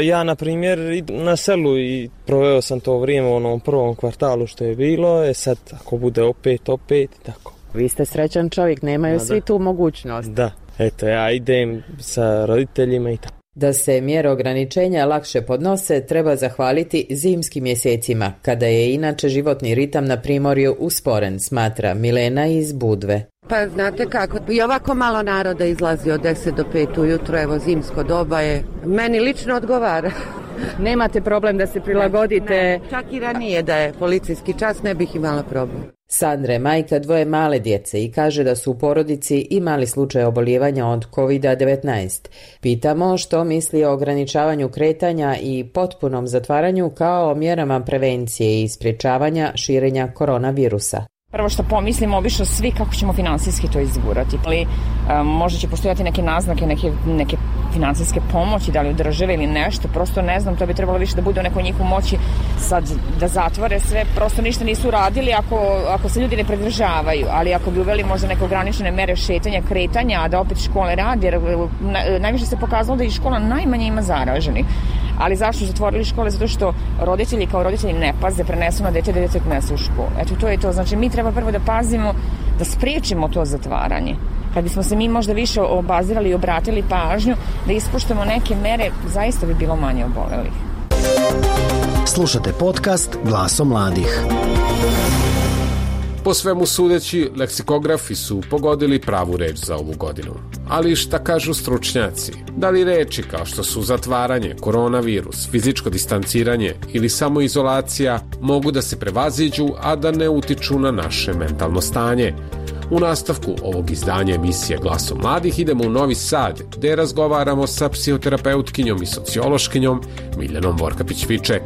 ja, na primjer, na selu i proveo sam to vrijeme u onom prvom kvartalu što je bilo, e sad ako bude opet, opet i tako. Vi ste srećan čovjek, nemaju da, svi da. tu mogućnost. Da, eto ja idem sa roditeljima i tako. Da se mjere ograničenja lakše podnose, treba zahvaliti zimskim mjesecima, kada je inače životni ritam na primorju usporen, smatra Milena iz Budve. Pa znate kako, i ovako malo naroda izlazi od deset do pet ujutro, evo zimsko doba je, meni lično odgovara. Nemate problem da se prilagodite? Ne, ne, čak i ranije da je policijski čas ne bih imala problem. Sandra je majka dvoje male djece i kaže da su u porodici imali slučaj oboljevanja od kovid devetnaest. Pitamo što misli o ograničavanju kretanja i potpunom zatvaranju kao mjerama prevencije i sprječavanja širenja koronavirusa. Prvo što pomislimo obično svi kako ćemo finansijski to izgurati. Ali um, možda će postojati neke naznake, neke, neke finansijske pomoći, da li od države ili nešto, prosto ne znam, to bi trebalo više da bude u nekoj njihovoj moći sad da zatvore sve, prosto ništa nisu radili ako, ako se ljudi ne pridržavaju, ali ako bi uveli možda neke ograničene mere šetanja, kretanja, a da opet škole radi, jer na, najviše se pokazalo da i škola najmanje ima zaraženih. Ali zašto su zatvorili škole? Zato što roditelji kao roditelji ne paze, prenesu na dete, dete prenesu u školu. Eto, to je to. Znači, mi treba prvo da pazimo, da spriječimo to zatvaranje. Kad bismo se mi možda više obazirali i obratili pažnju, da ispoštujemo neke mere, zaista bi bilo manje obolelih. Slušate podcast Glasom mladih. Po svemu sudeći, leksikografi su pogodili pravu reč za ovu godinu. Ali šta kažu stručnjaci? Da li reči kao što su zatvaranje, koronavirus, fizičko distanciranje ili samoizolacija mogu da se prevaziđu, a da ne utiču na naše mentalno stanje? U nastavku ovog izdanja emisije Glasom mladih idemo u Novi Sad, gde razgovaramo sa psihoterapeutkinjom i sociološkinjom Miljanom Vorkapić-Viček.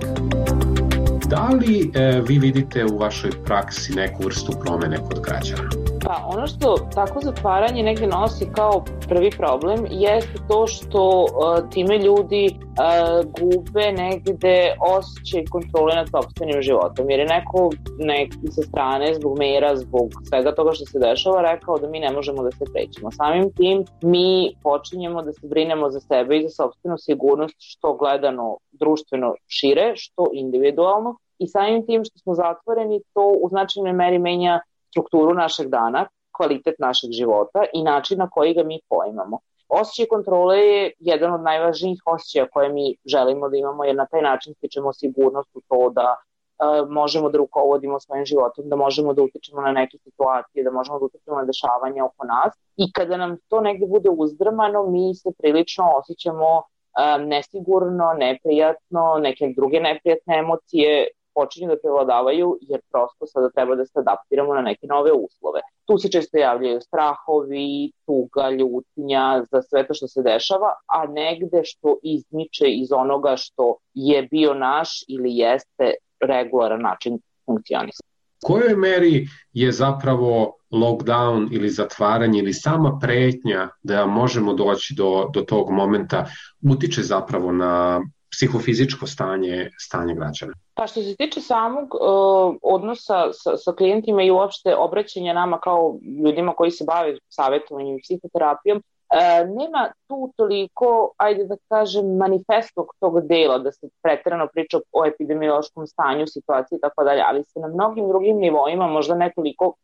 Da li e, vi vidite u vašoj praksi neku vrstu promene kod građana? Pa ono što tako zatvaranje negdje nosi kao prvi problem jeste to što uh, time ljudi uh, gube negdje osjećaj kontrole nad sopstvenim životom. Jer je neko, neki sa strane, zbog mera, zbog svega toga što se dešava, rekao da mi ne možemo da se krećemo. Samim tim mi počinjemo da se brinemo za sebe i za sopstvenu sigurnost, što gledano društveno šire, što individualno. I samim tim što smo zatvoreni, to u značajnoj meri menja strukturu našeg dana, kvalitet našeg života i način na koji ga mi poimamo. Osjećaj kontrole je jedan od najvažnijih osjećaja koje mi želimo da imamo, jer na taj način stičemo sigurnost u to da e, možemo da rukovodimo svojim životom, da možemo da utičemo na neke situacije, da možemo da utičemo na dešavanja oko nas. I kada nam to negdje bude uzdrmano, mi se prilično osjećamo e, nesigurno, neprijatno, neke druge neprijatne emocije počinju da prevladavaju, jer prosto sada treba da se adaptiramo na neke nove uslove. Tu se često javljaju strahovi, tuga, ljutnja za sve to što se dešava, a negde što izmiče iz onoga što je bio naš ili jeste regularan način funkcionisanja. U kojoj meri je zapravo lockdown ili zatvaranje ili sama pretnja da možemo doći do, do tog momenta utiče zapravo na psihofizičko stanje, stanje građana? Pa što se tiče samog uh, odnosa sa, sa klijentima i uopšte obraćanja nama kao ljudima koji se bave savjetovanjem i psihoterapijom, uh, nema tu toliko, ajde da kažem, manifestog tog dela, da se pretjerano priča o epidemiološkom stanju, situaciji i tako dalje, ali se na mnogim drugim nivoima, možda nekoliko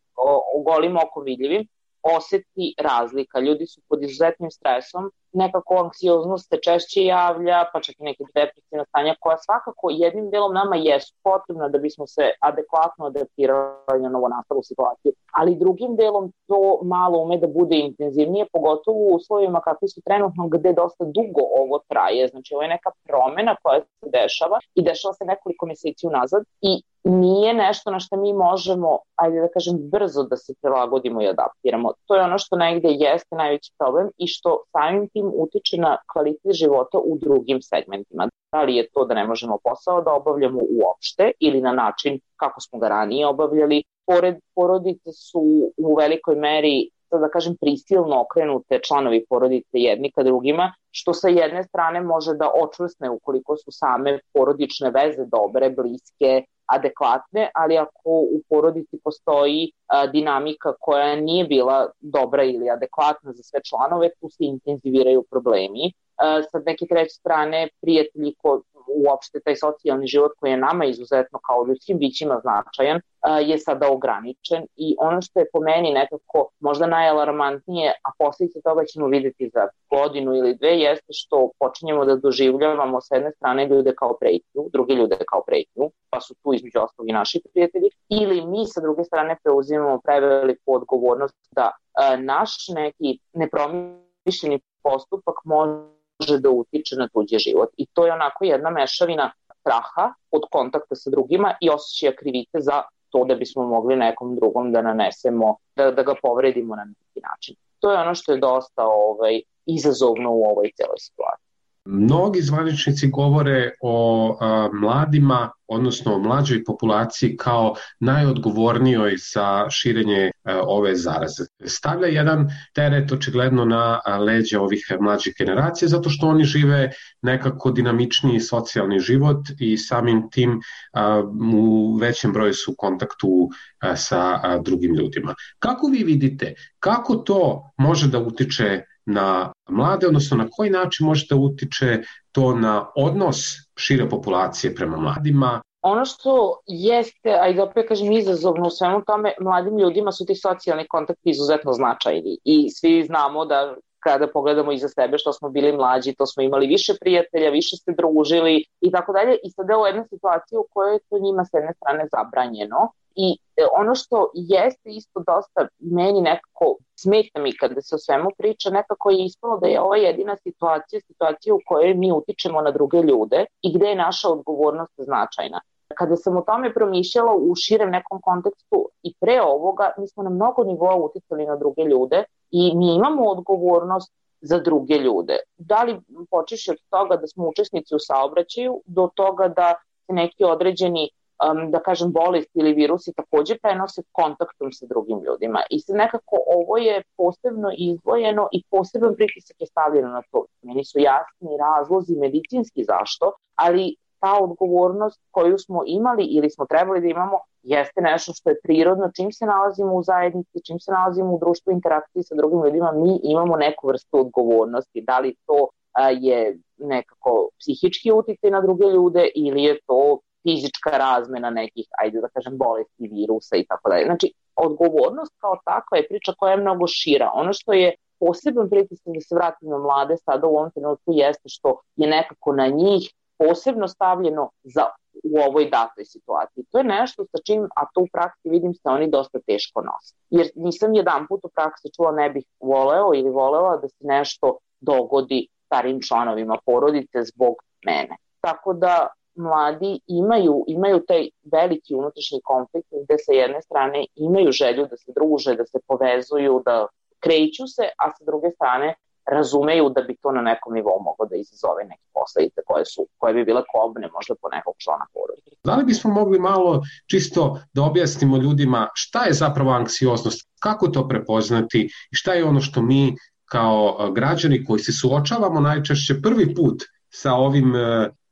ogolim oko vidljivim, osjeti razlika. Ljudi su pod izuzetnim stresom, nekako anksioznost se češće javlja, pa čak i neke depresivne stanja koja svakako jednim delom nama jesu potrebna da bismo se adekvatno adaptirali na novonastalu situaciju, ali drugim delom to malo ume da bude intenzivnije, pogotovo u uslovima kakvi su trenutno gde dosta dugo ovo traje. Znači ovo je neka promjena koja se dešava i dešava se nekoliko mjeseci unazad i nije nešto na što mi možemo, ajde da kažem, brzo da se prilagodimo i adaptiramo. To je ono što negde jeste najveći problem i što samim tim utiče na kvalitet života u drugim segmentima. Da li je to da ne možemo posao da obavljamo uopšte ili na način kako smo ga ranije obavljali. Pored porodice su u velikoj meri, da kažem, prisilno okrenute članovi porodice jedni ka drugima, što sa jedne strane može da očvrsne ukoliko su same porodične veze dobre, bliske, adekvatne, ali ako u porodici postoji a, dinamika koja nije bila dobra ili adekvatna za sve članove, tu se intenziviraju problemi. A, sa neke treće strane, prijatelji ko, uopšte taj socijalni život koji je nama izuzetno kao ljudskim bićima značajan, a, je sada ograničen i ono što je po meni nekako možda najalarmantnije, a posljedice toga ćemo vidjeti za godinu ili dve, jeste što počinjemo da doživljavamo s jedne strane ljude kao pretnju, druge ljude kao pretnju, pa su tu između ostalog i naši prijatelji, ili mi sa druge strane preuzimamo preveliku odgovornost da a, naš neki nepromišljeni postupak može može da utiče na tuđi život. I to je onako jedna mešavina straha od kontakta sa drugima i osjećaja krivice za to da bismo mogli nekom drugom da nanesemo, da, da ga povredimo na neki način. To je ono što je dosta ovaj, izazovno u ovoj celoj situaciji. Mnogi zvaničnici govore o a, mladima, odnosno o mlađoj populaciji kao najodgovornijoj za širenje a, ove zaraze. Stavlja jedan teret očigledno na a, leđa ovih mlađih generacija zato što oni žive nekako dinamičniji socijalni život i samim tim a, u većem broju su u kontaktu a, sa a, drugim ljudima. Kako vi vidite, kako to može da utiče na mlade, odnosno na koji način može da utiče to na odnos šire populacije prema mladima? Ono što jeste, a i da opet kažem izazovno u svemu tome, mladim ljudima su ti socijalni kontakti izuzetno značajni i svi znamo da kada pogledamo iza sebe što smo bili mlađi, to smo imali više prijatelja, više se družili i tako dalje i sada je u jednoj situaciji u kojoj je to njima s jedne strane zabranjeno. I ono što jeste isto dosta meni nekako smeta mi kada se o svemu priča, nekako je ispalo da je ova jedina situacija, situacija u kojoj mi utičemo na druge ljude i gde je naša odgovornost značajna. Kada sam o tome promišljala u širem nekom kontekstu i pre ovoga, mi smo na mnogo nivoa uticali na druge ljude i mi imamo odgovornost za druge ljude. Da li počeši od toga da smo učesnici u saobraćaju, do toga da se neki određeni Um, da kažem, bolest ili virusi takođe prenose kontaktom sa drugim ljudima. I sad nekako ovo je posebno izdvojeno i poseban pritisak je stavljeno na to. Meni su jasni razlozi medicinski zašto, ali ta odgovornost koju smo imali ili smo trebali da imamo jeste nešto što je prirodno. Čim se nalazimo u zajednici, čim se nalazimo u društvu interakciji sa drugim ljudima, mi imamo neku vrstu odgovornosti. Da li to a, je nekako psihički uticaj na druge ljude ili je to fizička razmena nekih, ajde da kažem, bolesti, virusa i tako dalje. Znači, odgovornost kao takva je priča koja je mnogo šira. Ono što je poseban pritisak da se vratim na mlade sada u ovom trenutku jeste što je nekako na njih posebno stavljeno za u ovoj datoj situaciji. To je nešto sa čim, a to u praksi vidim se oni dosta teško nose. Jer nisam jedan put u praksi čula ne bih voleo ili volela da se nešto dogodi starim članovima porodice zbog mene. Tako da mladi imaju, imaju taj veliki unutrašnji konflikt gde sa jedne strane imaju želju da se druže, da se povezuju, da kreću se, a sa druge strane razumeju da bi to na nekom nivou moglo da izazove neke posledice koje su, koje bi bile kobne možda po nekog člana porodice. Da li bismo mogli malo čisto da objasnimo ljudima šta je zapravo anksioznost, kako to prepoznati i šta je ono što mi kao građani koji se suočavamo najčešće prvi put sa ovim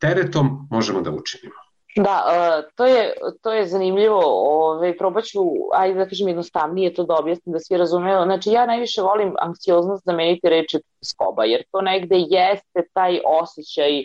teretom možemo da učinimo? Da, to je, to je zanimljivo. Ove, probat ću, ajde da kažem jednostavnije to da objasnim da svi razumeju. Znači, ja najviše volim anksioznost zameniti reči skoba, jer to negde jeste taj osjećaj e,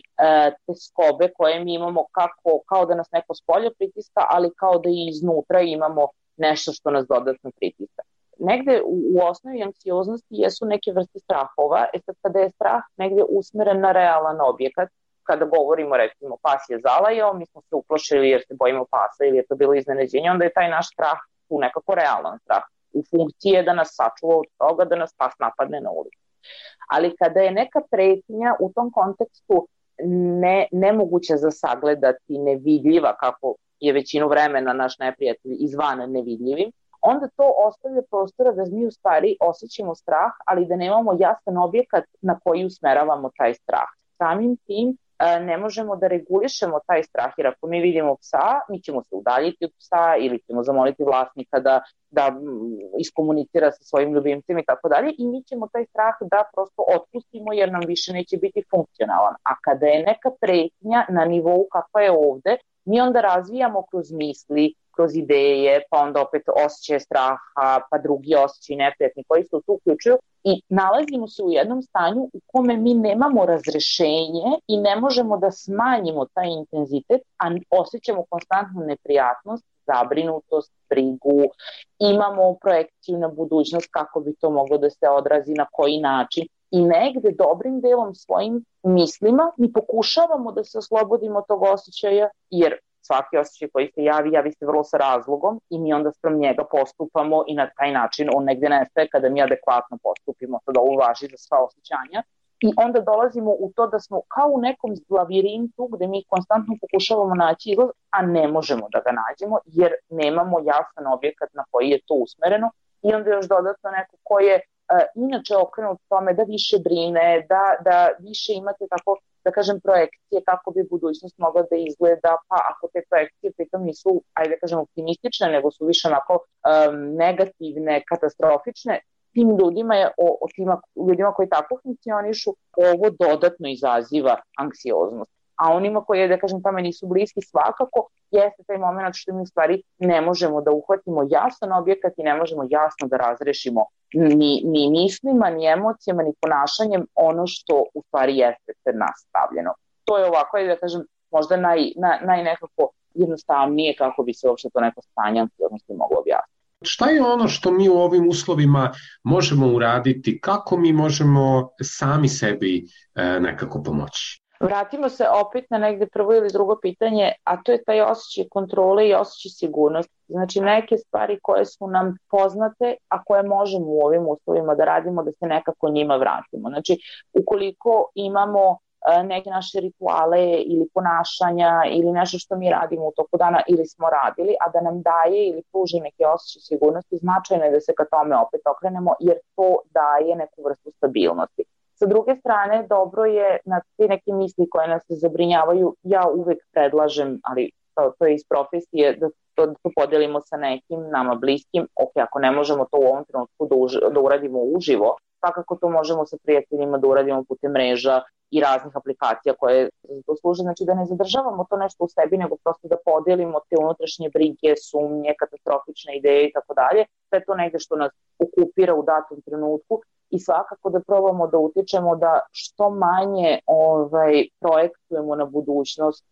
te skobe koje mi imamo kako, kao da nas neko spolja pritiska, ali kao da i iznutra imamo nešto što nas dodatno pritiska. Negde u, u osnovi anksioznosti jesu neke vrste strahova, e sad kada je strah negde usmeren na realan objekat, kada govorimo recimo pas je zalajao, mi smo se uplošili jer se bojimo pasa ili je to bilo iznenađenje, onda je taj naš strah tu nekako realan strah. U funkciji je da nas sačuva od toga da nas pas napadne na ulici. Ali kada je neka pretnja u tom kontekstu ne, nemoguća za sagledati, nevidljiva, kako je većinu vremena naš neprijatelj izvana nevidljivim, onda to ostavlja prostora da mi u stvari osjećamo strah, ali da nemamo jasan objekat na koji usmeravamo taj strah. Samim tim ne možemo da regulišemo taj strah, jer ako mi vidimo psa, mi ćemo se udaljiti od psa ili ćemo zamoliti vlasnika da, da iskomunicira sa svojim ljubimcem i tako dalje i mi ćemo taj strah da prosto otpustimo jer nam više neće biti funkcionalan. A kada je neka pretnja na nivou kakva je ovde, mi onda razvijamo kroz misli, kroz ideje, pa onda opet osjećaje straha, pa drugi osjećaj neprijatni koji se tu uključuju i nalazimo se u jednom stanju u kome mi nemamo razrešenje i ne možemo da smanjimo taj intenzitet, a osjećamo konstantnu neprijatnost, zabrinutost, brigu, imamo projekciju na budućnost kako bi to moglo da se odrazi, na koji način i negde dobrim delom svojim mislima mi pokušavamo da se oslobodimo tog osjećaja jer svaki osjećaj koji se javi, javi se vrlo sa razlogom i mi onda sprem njega postupamo i na taj način on negde nestaje kada mi adekvatno postupimo. Sad ovo važi za sva osjećanja I onda dolazimo u to da smo kao u nekom lavirintu gde mi konstantno pokušavamo naći izlaz, a ne možemo da ga nađemo jer nemamo jasan objekat na koji je to usmereno i onda još dodatno neko ko je uh, inače okrenut tome da više brine, da, da više imate tako, da kažem, projekcije kako bi budućnost mogla da izgleda, pa ako te projekcije pritom nisu, ajde da kažem, optimistične, nego su više onako um, negativne, katastrofične, tim ljudima, je, o, o tima, ljudima koji tako funkcionišu, ovo dodatno izaziva anksioznost. A onima koji, da kažem, tamo nisu bliski, svakako jeste taj moment što mi u stvari ne možemo da uhvatimo jasan objekat i ne možemo jasno da razrešimo ni, ni mislima, ni emocijama, ni ponašanjem ono što u stvari jeste pred nas stavljeno. To je ovako, da kažem, možda naj, naj, naj nekako jednostavnije kako bi se uopšte to neko stanje anksioznosti moglo objasniti. Šta je ono što mi u ovim uslovima možemo uraditi? Kako mi možemo sami sebi e, nekako pomoći? Vratimo se opet na negde prvo ili drugo pitanje, a to je taj osjećaj kontrole i osjećaj sigurnosti. Znači neke stvari koje su nam poznate, a koje možemo u ovim uslovima da radimo, da se nekako njima vratimo. Znači ukoliko imamo neke naše rituale ili ponašanja ili nešto što mi radimo u toku dana ili smo radili, a da nam daje ili pruži neke osjećaje sigurnosti, značajno je da se ka tome opet okrenemo jer to daje neku vrstu stabilnosti. Sa druge strane, dobro je na te neke misli koje nas zabrinjavaju, ja uvek predlažem, ali to, to je iz profesije, da to, da to podelimo sa nekim nama bliskim, ok, ako ne možemo to u ovom trenutku da, uži, da uradimo uživo, svakako to možemo sa prijateljima da uradimo putem mreža i raznih aplikacija koje to služe, znači da ne zadržavamo to nešto u sebi, nego prosto da podelimo te unutrašnje brige, sumnje, katastrofične ideje i tako dalje, sve to negde što nas okupira u datom trenutku i svakako da probamo da utičemo da što manje ovaj, projektujemo na budućnost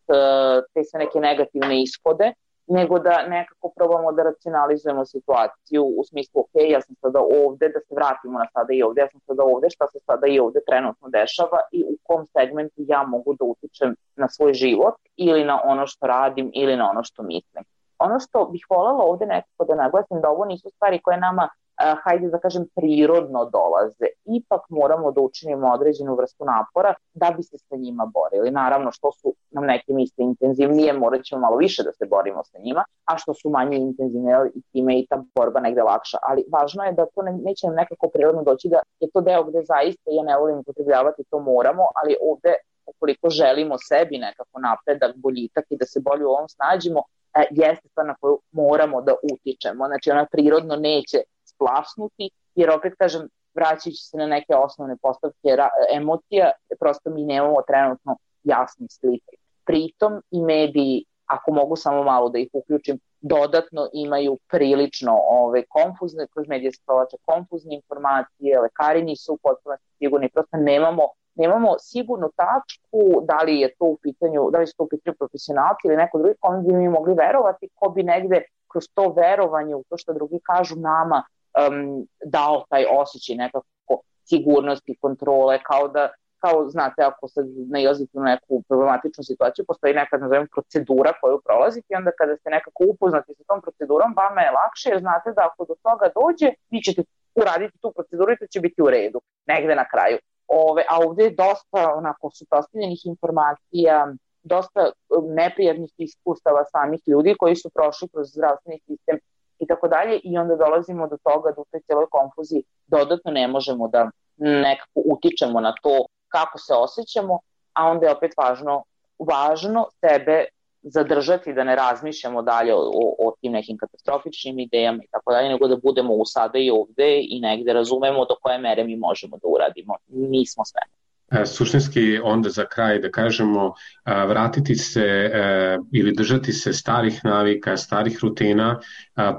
te sve neke negativne ishode, nego da nekako probamo da racionalizujemo situaciju u smislu, ok, ja sam sada ovde, da se vratimo na sada i ovde, ja sam sada ovde, šta se sada i ovde trenutno dešava i u kom segmentu ja mogu da utičem na svoj život ili na ono što radim ili na ono što mislim. Ono što bih voljela ovde nekako da naglasim da ovo nisu stvari koje nama Uh, hajde da kažem prirodno dolaze, ipak moramo da učinimo određenu vrstu napora da bi se sa njima borili. Naravno što su nam neke misle intenzivnije, morat ćemo malo više da se borimo sa njima, a što su manje intenzivne i time i ta borba negde lakša, ali važno je da to ne, neće nam nekako prirodno doći, da je to deo gde zaista, ja ne volim upotrebljavati, to moramo, ali ovde ukoliko želimo sebi nekako napredak, boljitak i da se bolje u ovom snađimo, e, jeste stvar na koju moramo da utičemo, znači ona prirodno neće splasnuti, jer opet kažem, vraćajući se na neke osnovne postavke emocija, prosto mi nemamo trenutno jasne slike. Pritom i mediji, ako mogu samo malo da ih uključim, dodatno imaju prilično ove, konfuzne, kroz medije se provlače konfuzne informacije, lekari nisu potpuno sigurni, prosto nemamo, nemamo sigurnu tačku da li je to u pitanju, da li su to u pitanju profesionalci ili neko drugi, kome bi mi mogli verovati, ko bi negde kroz to verovanje u to što drugi kažu nama Um, dao taj osjećaj nekako sigurnosti, kontrole, kao da, kao znate, ako se nailazite u neku problematičnu situaciju, postoji neka, nazovem, procedura koju prolazite i onda kada ste nekako upoznati sa tom procedurom, vama je lakše jer znate da ako do toga dođe, vi ćete uraditi tu proceduru i to će biti u redu, negde na kraju. Ove, a ovde je dosta onako suprotstavljenih informacija, dosta neprijatnih iskustava samih ljudi koji su prošli kroz zdravstveni sistem i tako dalje, i onda dolazimo do toga da u toj cijeloj konfuziji dodatno ne možemo da nekako utičemo na to kako se osjećamo, a onda je opet važno, važno sebe zadržati da ne razmišljamo dalje o, o, o tim nekim katastrofičnim idejama i tako dalje, nego da budemo u sada i ovde i negde razumemo do koje mere mi možemo da uradimo. Nismo sve. Suštinski onda za kraj da kažemo vratiti se ili držati se starih navika, starih rutina,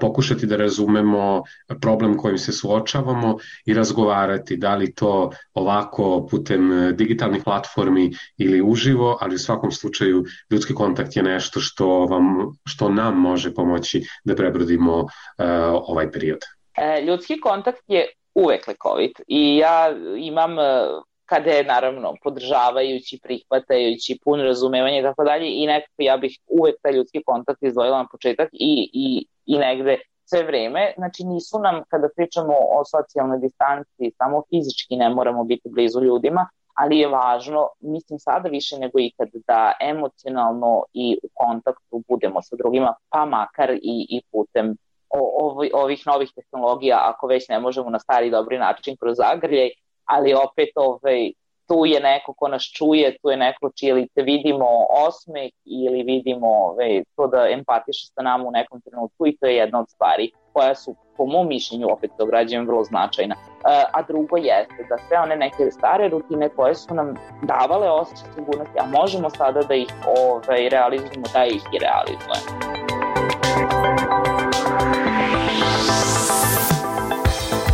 pokušati da razumemo problem kojim se suočavamo i razgovarati da li to ovako putem digitalnih platformi ili uživo, ali u svakom slučaju ljudski kontakt je nešto što, vam, što nam može pomoći da prebrodimo ovaj period. Ljudski kontakt je uvek lekovit i ja imam kada je naravno podržavajući, prihvatajući, pun razumevanje i tako dalje i nekako ja bih uvek taj ljudski kontakt izdvojila na početak i, i, i negde sve vreme, znači nisu nam kada pričamo o socijalnoj distanci, samo fizički ne moramo biti blizu ljudima, ali je važno, mislim sada više nego ikad, da emocionalno i u kontaktu budemo sa drugima, pa makar i, i putem o, ovih novih tehnologija, ako već ne možemo na stari dobri način kroz zagrljaj, ali opet ovaj, tu je neko ko nas čuje, tu je neko čije lice vidimo osmeh ili vidimo ovaj, to da empatiše sa nama u nekom trenutku, i to je jedna od stvari koja su, po mom mišljenju, opet to građujem, vrlo značajna. A drugo jeste da sve one neke stare rutine koje su nam davale osjećaj sigurnosti, a možemo sada da ih ovaj, realizujemo, da ih i realizujemo.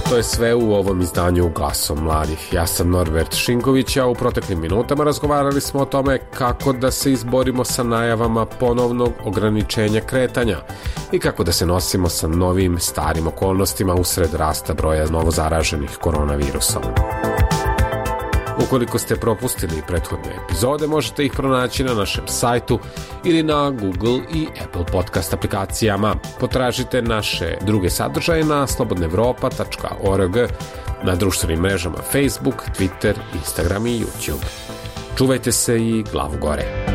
To je sve u ovom izdanju Glasom mladih. Ja sam Norbert Šinković, a u proteklim minutama razgovarali smo o tome kako da se izborimo sa najavama ponovnog ograničenja kretanja i kako da se nosimo sa novim starim okolnostima usred rasta broja novozaraženih koronavirusom. Ukoliko ste propustili prethodne epizode, možete ih pronaći na našem sajtu ili na Google i Apple podcast aplikacijama. Potražite naše druge sadržaje na slobodna evropa tačka org, na društvenim mrežama Facebook, Twitter, Instagram i YouTube. Čuvajte se i glavu gore.